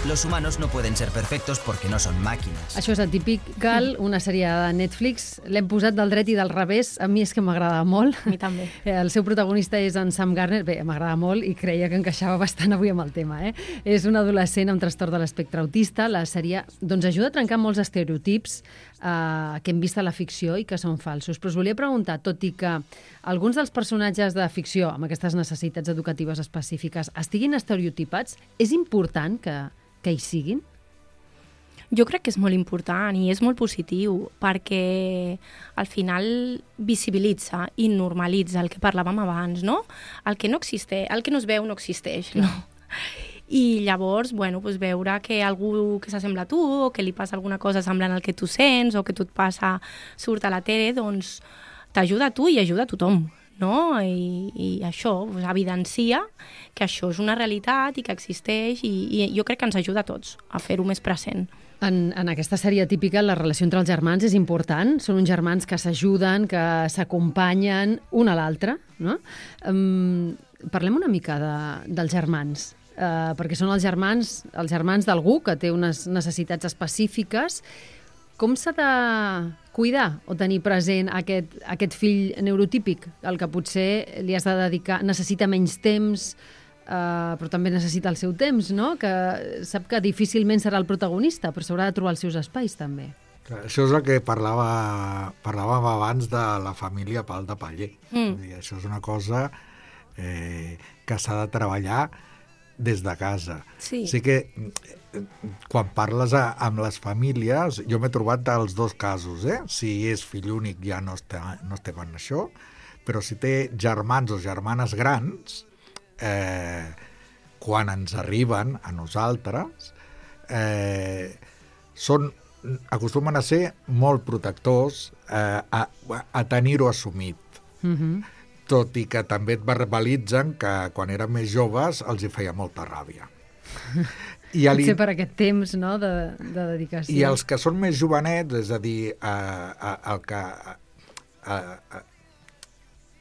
Los humanos no pueden ser perfectos porque no son máquinas. Això és Atypical, una sèrie de Netflix. L'hem posat del dret i del revés. A mi és que m'agrada molt. A mi també. El seu protagonista és en Sam Garner. Bé, m'agrada molt i creia que encaixava bastant avui amb el tema. És un adolescent amb trastorn de l'espectre autista. La sèrie ajuda a trencar molts estereotips que hem vist a la ficció i que són falsos. Però us volia preguntar, tot i que alguns dels personatges de ficció amb aquestes necessitats educatives específiques estiguin estereotipats, és important que hi siguin? Jo crec que és molt important i és molt positiu perquè al final visibilitza i normalitza el que parlàvem abans, no? El que no existeix, el que no es veu no existeix, no? I llavors, veure que algú que s'assembla a tu o que li passa alguna cosa semblant al que tu sents o que tu et passa, surt a la tele, doncs t'ajuda a tu i ajuda a tothom, no? I això evidencia que això és una realitat i que existeix i jo crec que ens ajuda a tots a fer-ho més present. En aquesta sèrie típica, la relació entre els germans és important. Són uns germans que s'ajuden, que s'acompanyen un a l'altre, no? Parlem una mica dels germans, perquè són els germans d'algú que té unes necessitats específiques. Com s'ha de cuidar o tenir present aquest fill neurotípic, el que potser li has de dedicar, necessita menys temps, però també necessita el seu temps, no? Que sap que difícilment serà el protagonista, però s'haurà de trobar els seus espais, també. Això és el que parlàvem abans de la família Pal de Paller. Això és una cosa que s'ha de treballar des de casa. Sí. Així que quan parles amb les famílies, jo m'he trobat dels dos casos. Si és fill únic ja no estem en això, però si té germans o germanes grans, quan ens arriben a nosaltres, acostumen a ser molt protectors a tenir-ho assumit. Tot i que també et verbalitzen que quan eren més joves els hi feia molta ràbia. Potser per aquest temps, no?, de dedicació. I els que són més jovenets, és a dir,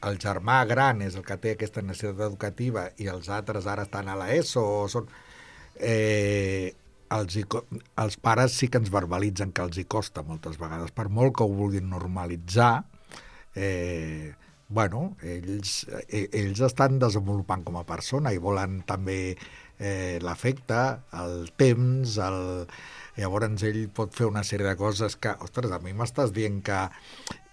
el germà gran és el que té aquesta necessitat educativa i els altres ara estan a l'ESO, els pares sí que ens verbalitzen que els hi costa moltes vegades, per molt que ho vulguin normalitzar, ells estan desenvolupant com a persona i volen també l'afecte, el temps, llavors ell pot fer una sèrie de coses que, ostres, a mi m'estàs dient que...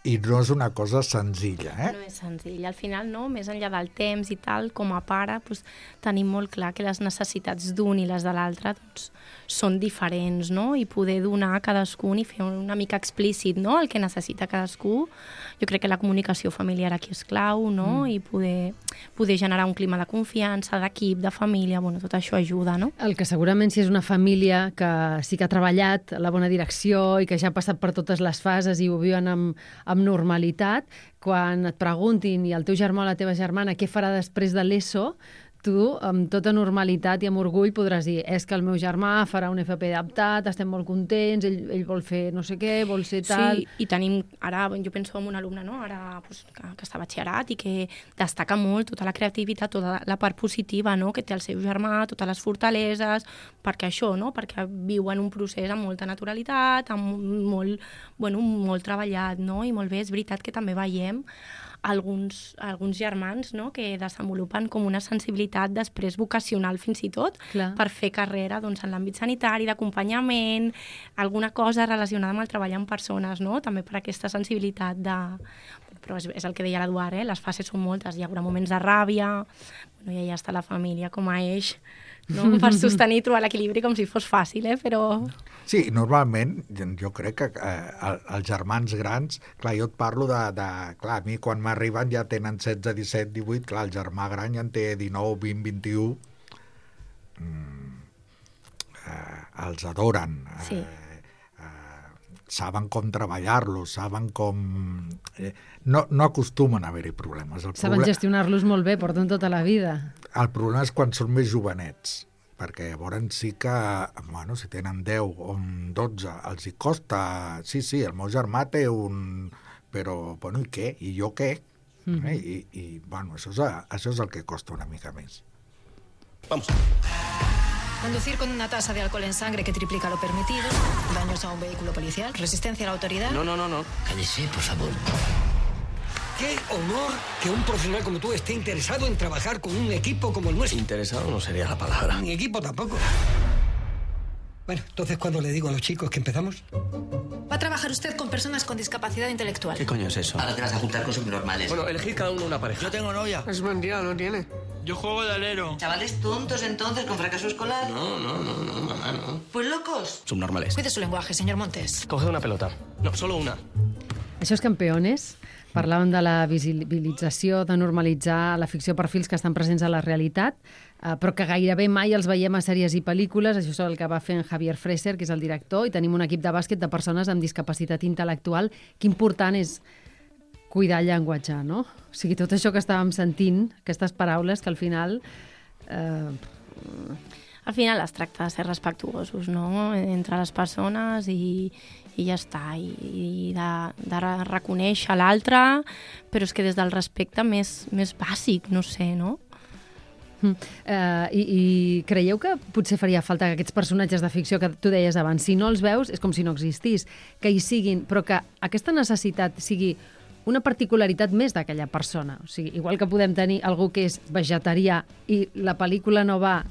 I no és una cosa senzilla, No és senzilla. Al final, no, més enllà del temps i tal, com a pare, tenim molt clar que les necessitats d'un i les de l'altre són diferents, no? I poder donar a cadascun i fer una mica explícit, no?, el que necessita cadascú. Jo crec que la comunicació familiar aquí és clau, no? I poder generar un clima de confiança, d'equip, de família, tot això ajuda, no? El que segurament si és una família que sí que ha treballat a la bona direcció i que ja ha passat per totes les fases i ho viuen amb normalitat, quan et preguntin i el teu germà o la teva germana què farà després de l'ESO, tu, amb tota normalitat i amb orgull, podràs dir és que el meu germà farà un FP adaptat, estem molt contents, ell vol fer no sé què, vol ser tal... Sí, i tenim, ara, jo penso en un alumne, no?, ara que està a batxillerat i que destaca molt tota la creativitat, tota la part positiva, no?, que té el seu germà, totes les fortaleses, perquè això, no?, perquè viuen un procés amb molta naturalitat, amb molt treballat, no?, i molt bé, és veritat que també veiem alguns germans, no?, que desenvolupen com una sensibilitat després vocacional fins i tot. Clar. Per fer carrera en l'àmbit sanitari, d'acompanyament, alguna cosa relacionada amb el treball amb persones, no?, també per aquesta sensibilitat però és el que deia l'Eduard, les fases són moltes, hi haurà moments de ràbia, i ja està la família com a eix, no?, per sostenir i trobar l'equilibri com si fos fàcil, però... Sí, normalment jo crec que els germans grans, clar, jo et parlo clar, a mi quan m'arriben ja tenen 16, 17, 18, clar, el germà gran ja en té 19, 20, 21, els adoren, sí. Saben com treballar-los, saben com... No acostumen a haver-hi problemes. Saben gestionar-los molt bé, porten tota la vida. El problema és quan són més jovenets, perquè llavors sí que, si tenen 10 o 12, els hi costa... Sí, el meu germà té un... Però, i què? I jo què? Això és el que costa una mica més. Vamos. Conducir con una tasa de alcohol en sangre que triplica lo permitido, daños a un vehículo policial, resistencia a la autoridad... No. Cállese, por favor. Qué honor que un profesional como tú esté interesado en trabajar con un equipo como el nuestro. Interesado no sería la palabra. Ni equipo tampoco. Bueno, entonces, ¿cuándo le digo a los chicos que empezamos? Va a trabajar usted con personas con discapacidad intelectual. ¿Qué coño es eso? Ahora te vas a juntar con subnormales. Bueno, elegid cada uno una pareja. Yo tengo novia. Es mentira, no tiene. Yo juego de alero. ¿Chavales tontos entonces con fracaso escolar? No, mamá, no. Pues locos. Subnormales. Cuide su lenguaje, señor Montes. Coged una pelota. No, solo una. Això és Campeones. Parlàvem de la visibilització, de normalitzar la ficció per fils que estan presents a la realitat, però que gairebé mai els veiem a sèries i pel·lícules. Això és el que va fer en Javier Freser, que és el director, i tenim un equip de bàsquet de persones amb discapacitat intel·lectual. Que important és cuidar el llenguatge, no? O sigui, tot això que estàvem sentint, aquestes paraules que al final... Al final es tracta de ser respectuosos, no?, entre les persones i ja està, i de reconèixer l'altre, però és que des del respecte més bàsic, no sé, no? I creieu que potser faria falta que aquests personatges de ficció que tu deies abans, si no els veus és com si no existís, que hi siguin, però que aquesta necessitat sigui una particularitat més d'aquella persona. O sigui, igual que podem tenir algú que és vegetarià i la pel·lícula no va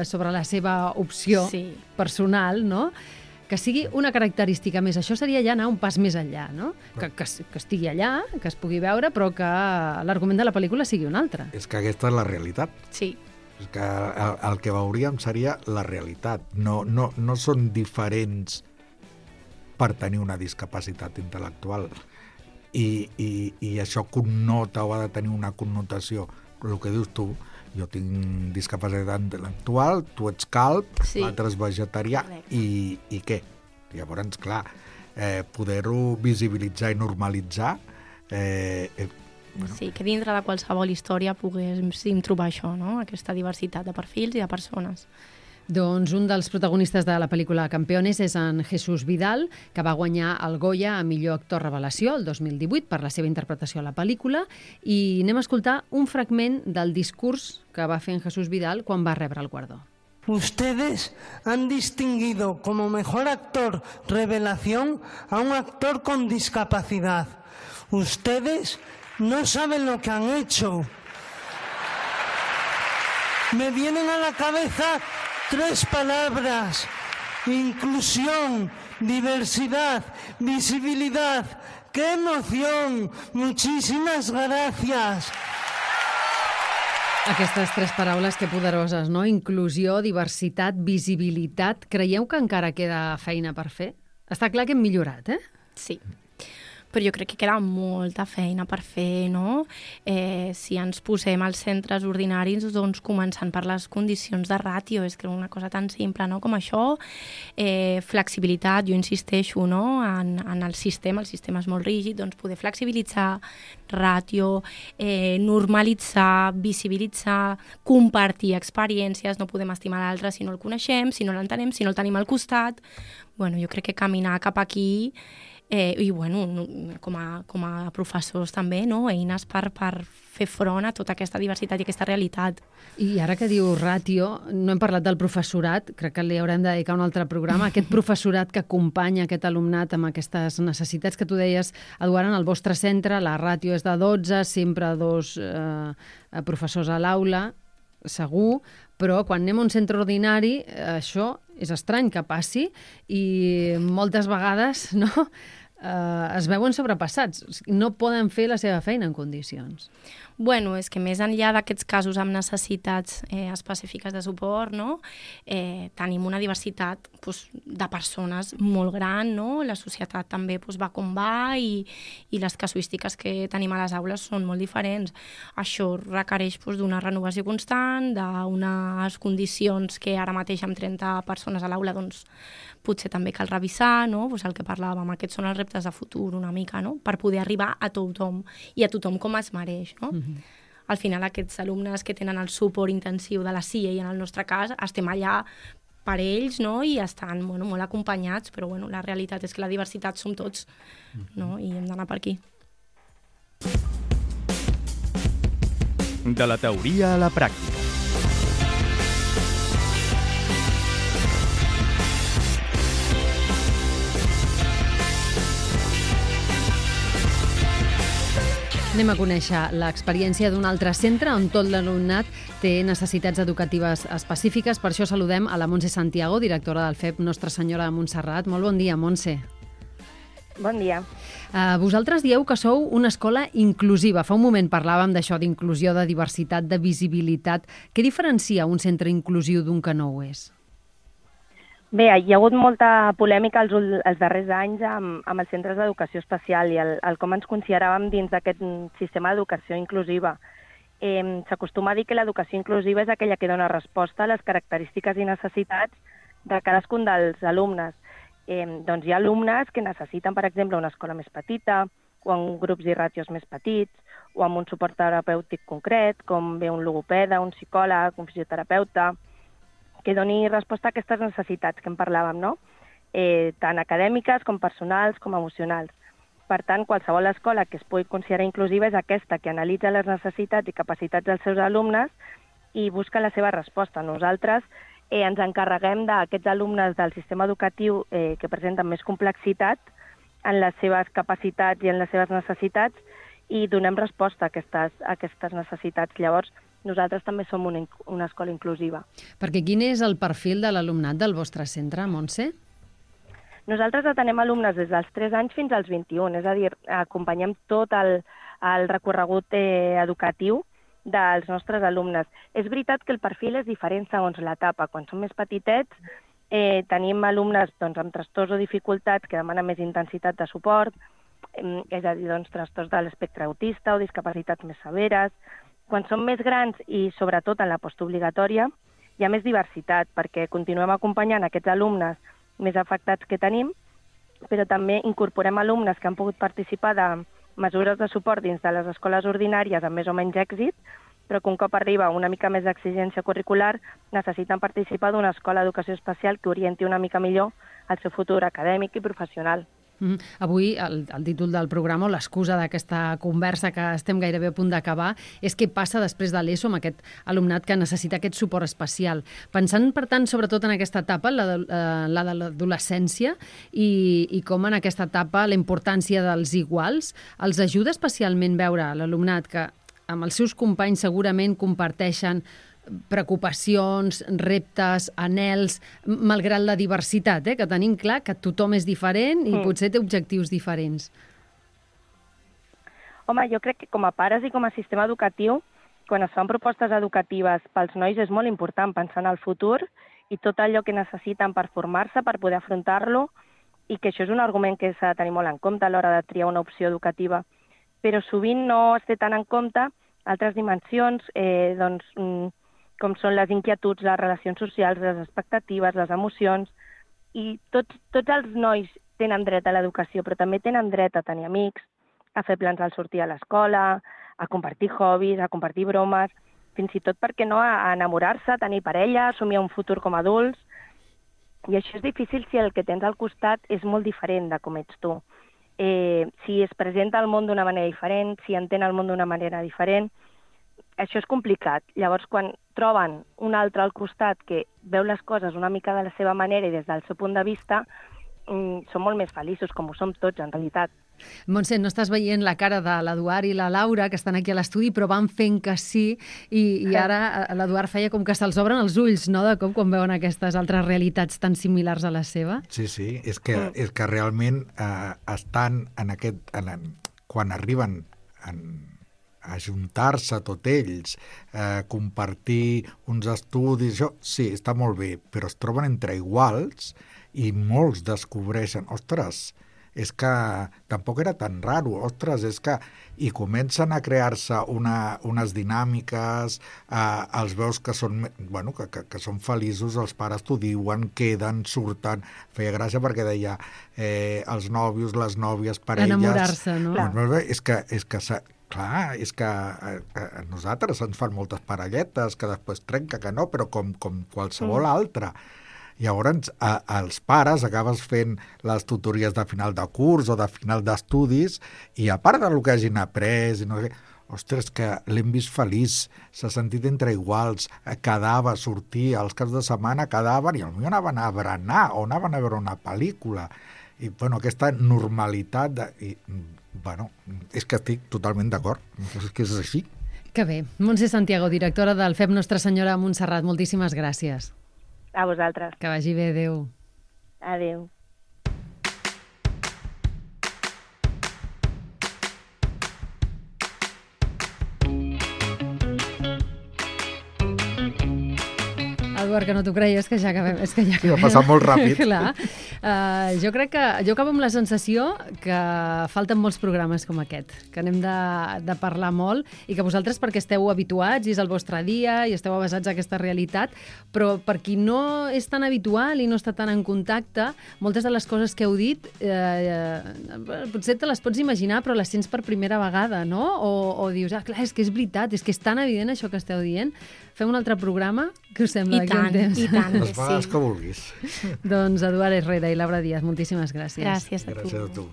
sobre la seva opció personal, no?, que sigui una característica més. Això seria ja anar un pas més enllà, no? Que estigui allà, que es pugui veure, però que l'argument de la pel·lícula sigui un altre. És que aquesta és la realitat. Sí. És que el que veuríem seria la realitat. No són diferents per tenir una discapacitat intel·lectual. I això connota o ha de tenir una connotació. El que dius tu, jo tinc discapacitat intel·lectual, tu ets calb, l'altre és vegetarià, i què? Llavors, clar, poder-ho visibilitzar i normalitzar... Sí, que dintre de qualsevol història poguéssim trobar això, no?, aquesta diversitat de perfils i de persones. Doncs un dels protagonistes de la pel·lícula Campeones és en Jesús Vidal, que va guanyar el Goya a millor actor revelació el 2018 per la seva interpretació a la pel·lícula, i anem a escoltar un fragment del discurs que va fer en Jesús Vidal quan va rebre el guardó. Ustedes han distinguido como mejor actor revelación a un actor con discapacidad. Ustedes no saben lo que han hecho. Me vienen a la cabeza 3 palabras: inclusión, diversidad, visibilidad. ¡Qué emoción! Muchísimas gracias. Aquestes 3 paraules, que poderoses, no? Inclusió, diversitat, visibilitat. Creieu que encara queda feina per fer? Està clar que hem millorat, eh? Sí. Però jo crec que queda molta feina per fer, no? Si ens posem als centres ordinaris, doncs començant per les condicions de ràtio, és que una cosa tan simple, no?, com això, flexibilitat, jo insisteixo, no?, en el sistema és molt rígid, doncs poder flexibilitzar, ràtio, normalitzar, visibilitzar, compartir experiències, no podem estimar l'altre si no el coneixem, si no l'entenem, si no el tenim al costat. Bueno, jo crec que caminar cap aquí, i bueno, com a professors també, no?, eines per fer front a tota aquesta diversitat i aquesta realitat. I ara que diu ràtio, no hem parlat del professorat, crec que li haurem de dedicar un altre programa, aquest professorat que acompanya aquest alumnat amb aquestes necessitats que tu deies, Eduard, en el vostre centre, la ràtio és de 12, sempre 2 professors a l'aula, segur, però quan anem a un centre ordinari això és estrany que passi i moltes vegades, no?, es veuen sobrepassats, no poden fer la seva feina en condicions. Bueno, és que més enllà d'aquests casos amb necessitats específiques de suport, no?, tenim una diversitat de persones molt gran, no?, la societat també va com va i les casuístiques que tenim a les aules són molt diferents. Això requereix d'una renovació constant, d'unes condicions que ara mateix amb 30 persones a l'aula doncs potser també cal revisar, no?, el que parlàvem, aquests són els reptes de futur una mica, no?, per poder arribar a tothom i a tothom com es mereix, no? Al final aquests alumnes que tenen el suport intensiu de la CIA i en el nostre cas estem allà per ells, no?, i estan molt acompanyats, però la realitat és que la diversitat som tots, no?, i hem d'anar per aquí. De la teoria a la pràctica. Anem a conèixer l'experiència d'un altre centre on tot l'alumnat té necessitats educatives específiques. Per això saludem a la Montse Santiago, directora del FEP Nostra Senyora de Montserrat. Molt bon dia, Montse. Bon dia. Vosaltres dieu que sou una escola inclusiva. Fa un moment parlàvem d'això, d'inclusió, de diversitat, de visibilitat. Què diferencia un centre inclusiu d'un que no ho és? Bé, hi ha hagut molta polèmica els darrers anys amb els centres d'educació especial i el com ens consideràvem dins d'aquest sistema d'educació inclusiva. S'acostuma a dir que l'educació inclusiva és aquella que dona resposta a les característiques i necessitats de cadascun dels alumnes. Doncs hi ha alumnes que necessiten, per exemple, una escola més petita, o amb grups i ràtios més petits, o amb un suport terapèutic concret, com bé un logopeda, un psicòleg, un fisioterapeuta, que doni resposta a aquestes necessitats que en parlàvem, no? Tant acadèmiques com personals com emocionals. Per tant, qualsevol escola que es pugui considerar inclusiva és aquesta, que analitza les necessitats i capacitats dels seus alumnes i busca la seva resposta. Nosaltres ens encarreguem d'aquests alumnes del sistema educatiu que presenten més complexitat en les seves capacitats i en les seves necessitats i donem resposta a aquestes necessitats. Llavors, nosaltres també som una escola inclusiva. Perquè quin és el perfil de l'alumnat del vostre centre, Montse? Nosaltres atenem alumnes des dels 3 anys fins als 21, és a dir, acompanyem tot el recorregut educatiu dels nostres alumnes. És veritat que el perfil és diferent segons l'etapa. Quan són més petitets tenim alumnes amb trastorns o dificultats que demanen més intensitat de suport, és a dir, trastorns de l'espectre autista o discapacitats més severes. Quan són més grans i sobretot en la postobligatòria hi ha més diversitat perquè continuem acompanyant aquests alumnes més afectats que tenim, però també incorporem alumnes que han pogut participar de mesures de suport dins de les escoles ordinàries amb més o menys èxit, però que un cop arriba una mica més d'exigència curricular necessiten participar d'una escola d'educació especial que orienti una mica millor el seu futur acadèmic i professional. Avui el títol del programa, o l'excusa d'aquesta conversa que estem gairebé a punt d'acabar, és què passa després de l'ESO amb aquest alumnat que necessita aquest suport especial. Pensant, per tant, sobretot en aquesta etapa, la de l'adolescència, i com en aquesta etapa la importància dels iguals, els ajuda especialment veure l'alumnat que amb els seus companys segurament comparteixen preocupacions, reptes, anhels, malgrat la diversitat, que tenim clar que tothom és diferent i potser té objectius diferents. Home, jo crec que com a pares i com a sistema educatiu, quan es fan propostes educatives pels nois és molt important pensar en el futur i tot allò que necessiten per formar-se, per poder afrontar-lo, i que això és un argument que s'ha de tenir molt en compte a l'hora de triar una opció educativa. Però sovint no es té tant en compte altres dimensions, com són les inquietuds, les relacions socials, les expectatives, les emocions, i tots els nois tenen dret a l'educació, però també tenen dret a tenir amics, a fer plans al sortir a l'escola, a compartir hobbies, a compartir bromes, fins i tot, per què no, a enamorar-se, a tenir parella, a somiar un futur com a adults. I això és difícil si el que tens al costat és molt diferent de com ets tu. Si es presenta al món d'una manera diferent, si entén el món d'una manera diferent, això és complicat. Llavors, quan troben un altre al costat que veu les coses una mica de la seva manera i des del seu punt de vista, són molt més feliços, com ho som tots, en realitat. Montse, no estàs veient la cara de l'Eduard i la Laura, que estan aquí a l'estudi, però van fent que sí, i ara l'Eduard feia com que se'ls obren els ulls, no?, de cop, quan veuen aquestes altres realitats tan similars a la seva. Sí, és que realment estan en aquest... quan arriben a ajuntar-se tot ells, compartir uns estudis, això sí, està molt bé, però es troben entre iguals i molts descobreixen, ostres, és que tampoc era tan raro, ostres, és que... I comencen a crear-se unes dinàmiques, els veus que són, que són feliços, els pares t'ho diuen, queden, surten, feia gràcia perquè deia els nòvios, les nòvies, parelles... Enamorar-se, no? És que clar, és que a nosaltres ens fan moltes parelletes, que després trenca, que no, però com qualsevol altra. Llavors, els pares acabes fent les tutories de final de curs o de final d'estudis i a part del que hagin après, ostres, que l'hem vist feliç, s'ha sentit entre iguals, quedava, sortia, els caps de setmana quedaven i potser anaven a berenar o anaven a veure una pel·lícula. I, aquesta normalitat Bueno, és que estic totalment d'acord, és que és així. Que bé. Montse Santiago, directora del FEP Nostra Senyora a Montserrat, moltíssimes gràcies. A vosaltres. Que vagi bé, adéu. Adéu. Eduard, que no t'ho creies, que ja acabem. És que ja ha passat molt ràpid. Clar. Jo crec que jo acabo amb la sensació que falten molts programes com aquest, que n'hem de parlar molt i que vosaltres, perquè esteu habituats i és el vostre dia i esteu avesats a aquesta realitat, però per qui no és tan habitual i no està tan en contacte, moltes de les coses que heu dit potser te les pots imaginar però les sents per primera vegada, no? O dius, clar, és que és veritat, és que és tan evident això que esteu dient. Fem un altre programa? Què us sembla? I tant, les vegades que vulguis. Doncs Eduard Herrera i Laura Díaz, moltíssimes gràcies. Gràcies a tu. Gràcies a tu.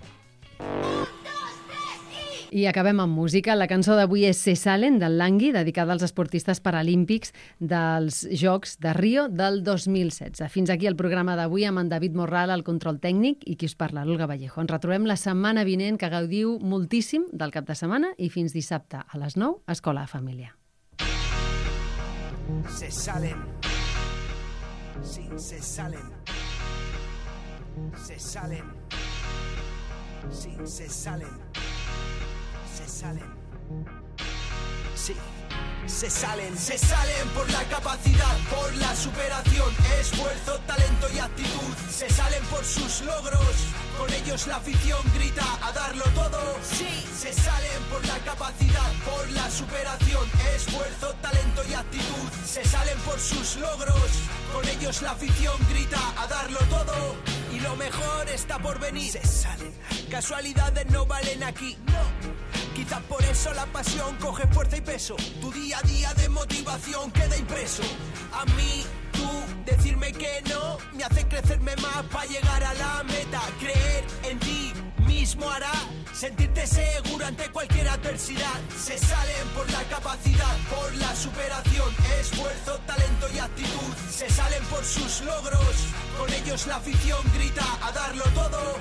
I acabem amb música. La cançó d'avui és Se Salen, del Langui, dedicada als esportistes paralímpics dels Jocs de Rio del 2016. Fins aquí el programa d'avui amb en David Morral, el control tècnic, i qui us parla, l'Olga Vallejo. Ens retrobem la setmana vinent, que gaudiu moltíssim del cap de setmana i fins dissabte a les 9, Escola de Família. Se salen, sí, se salen, se salen, sí, se salen, se salen, sí. Se salen por la capacidad, por la superación, esfuerzo, talento y actitud. Se salen por sus logros, con ellos la afición grita a darlo todo. Sí, se salen por la capacidad, por la superación, esfuerzo, talento y actitud. Se salen por sus logros, con ellos la afición grita a darlo todo. Y lo mejor está por venir. Se salen, casualidades no valen aquí, no. Quizás por eso la pasión coge fuerza y peso. Tu día a día de motivación queda impreso. A mí, tú, decirme que no me hace crecerme más para llegar a la meta. Creer en ti mismo hará sentirte seguro ante cualquier adversidad. Se salen por la capacidad, por la superación, esfuerzo, talento y actitud. Se salen por sus logros, con ellos la afición grita a darlo todo.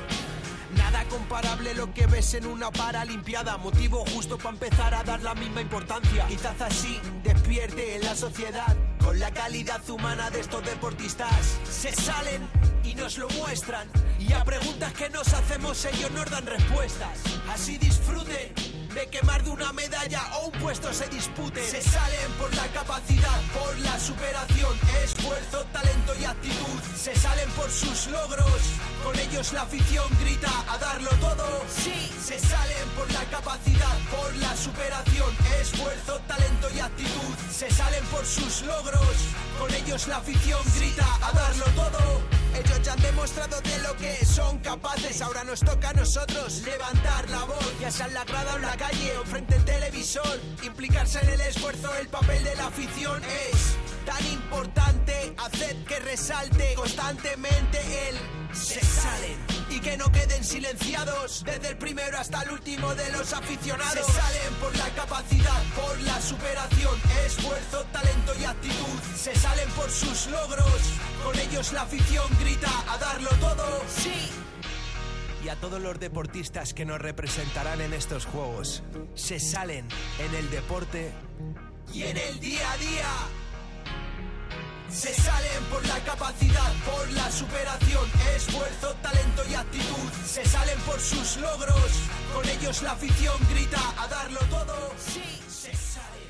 Nada comparable lo que ves en una paralimpiada. Motivo justo para empezar a dar la misma importancia. Quizás así despierte en la sociedad con la calidad humana de estos deportistas. Se salen y nos lo muestran, y a preguntas que nos hacemos ellos nos dan respuestas. Así disfruten de que más de una medalla o un puesto se dispute. Se salen por la capacidad, por la superación, esfuerzo, talento y actitud. Se salen por sus logros, con ellos la afición grita a darlo todo. Sí, se salen por la capacidad, por la superación, esfuerzo, talento y actitud. Se salen por sus logros, con ellos la afición grita a darlo todo. Ellos ya han demostrado de lo que son capaces. Ahora nos toca a nosotros levantar la voz, ya sea en la grada o en la calle o frente al televisor. Implicarse en el esfuerzo, el papel de la afición es tan importante. Hacer que resalte constantemente el se salen, y que no queden silenciados desde el primero hasta el último de los aficionados. Se salen por la capacidad, por la superación, esfuerzo, talento y actitud. Se salen por sus logros, con ellos la afición grita a darlo todo. Sí. Y a todos los deportistas que nos representarán en estos Juegos. Se salen en el deporte y en el día a día. Se salen por la capacidad, por la superación, esfuerzo, talento y actitud. Se salen por sus logros, con ellos la afición grita a darlo todo. Sí, se salen.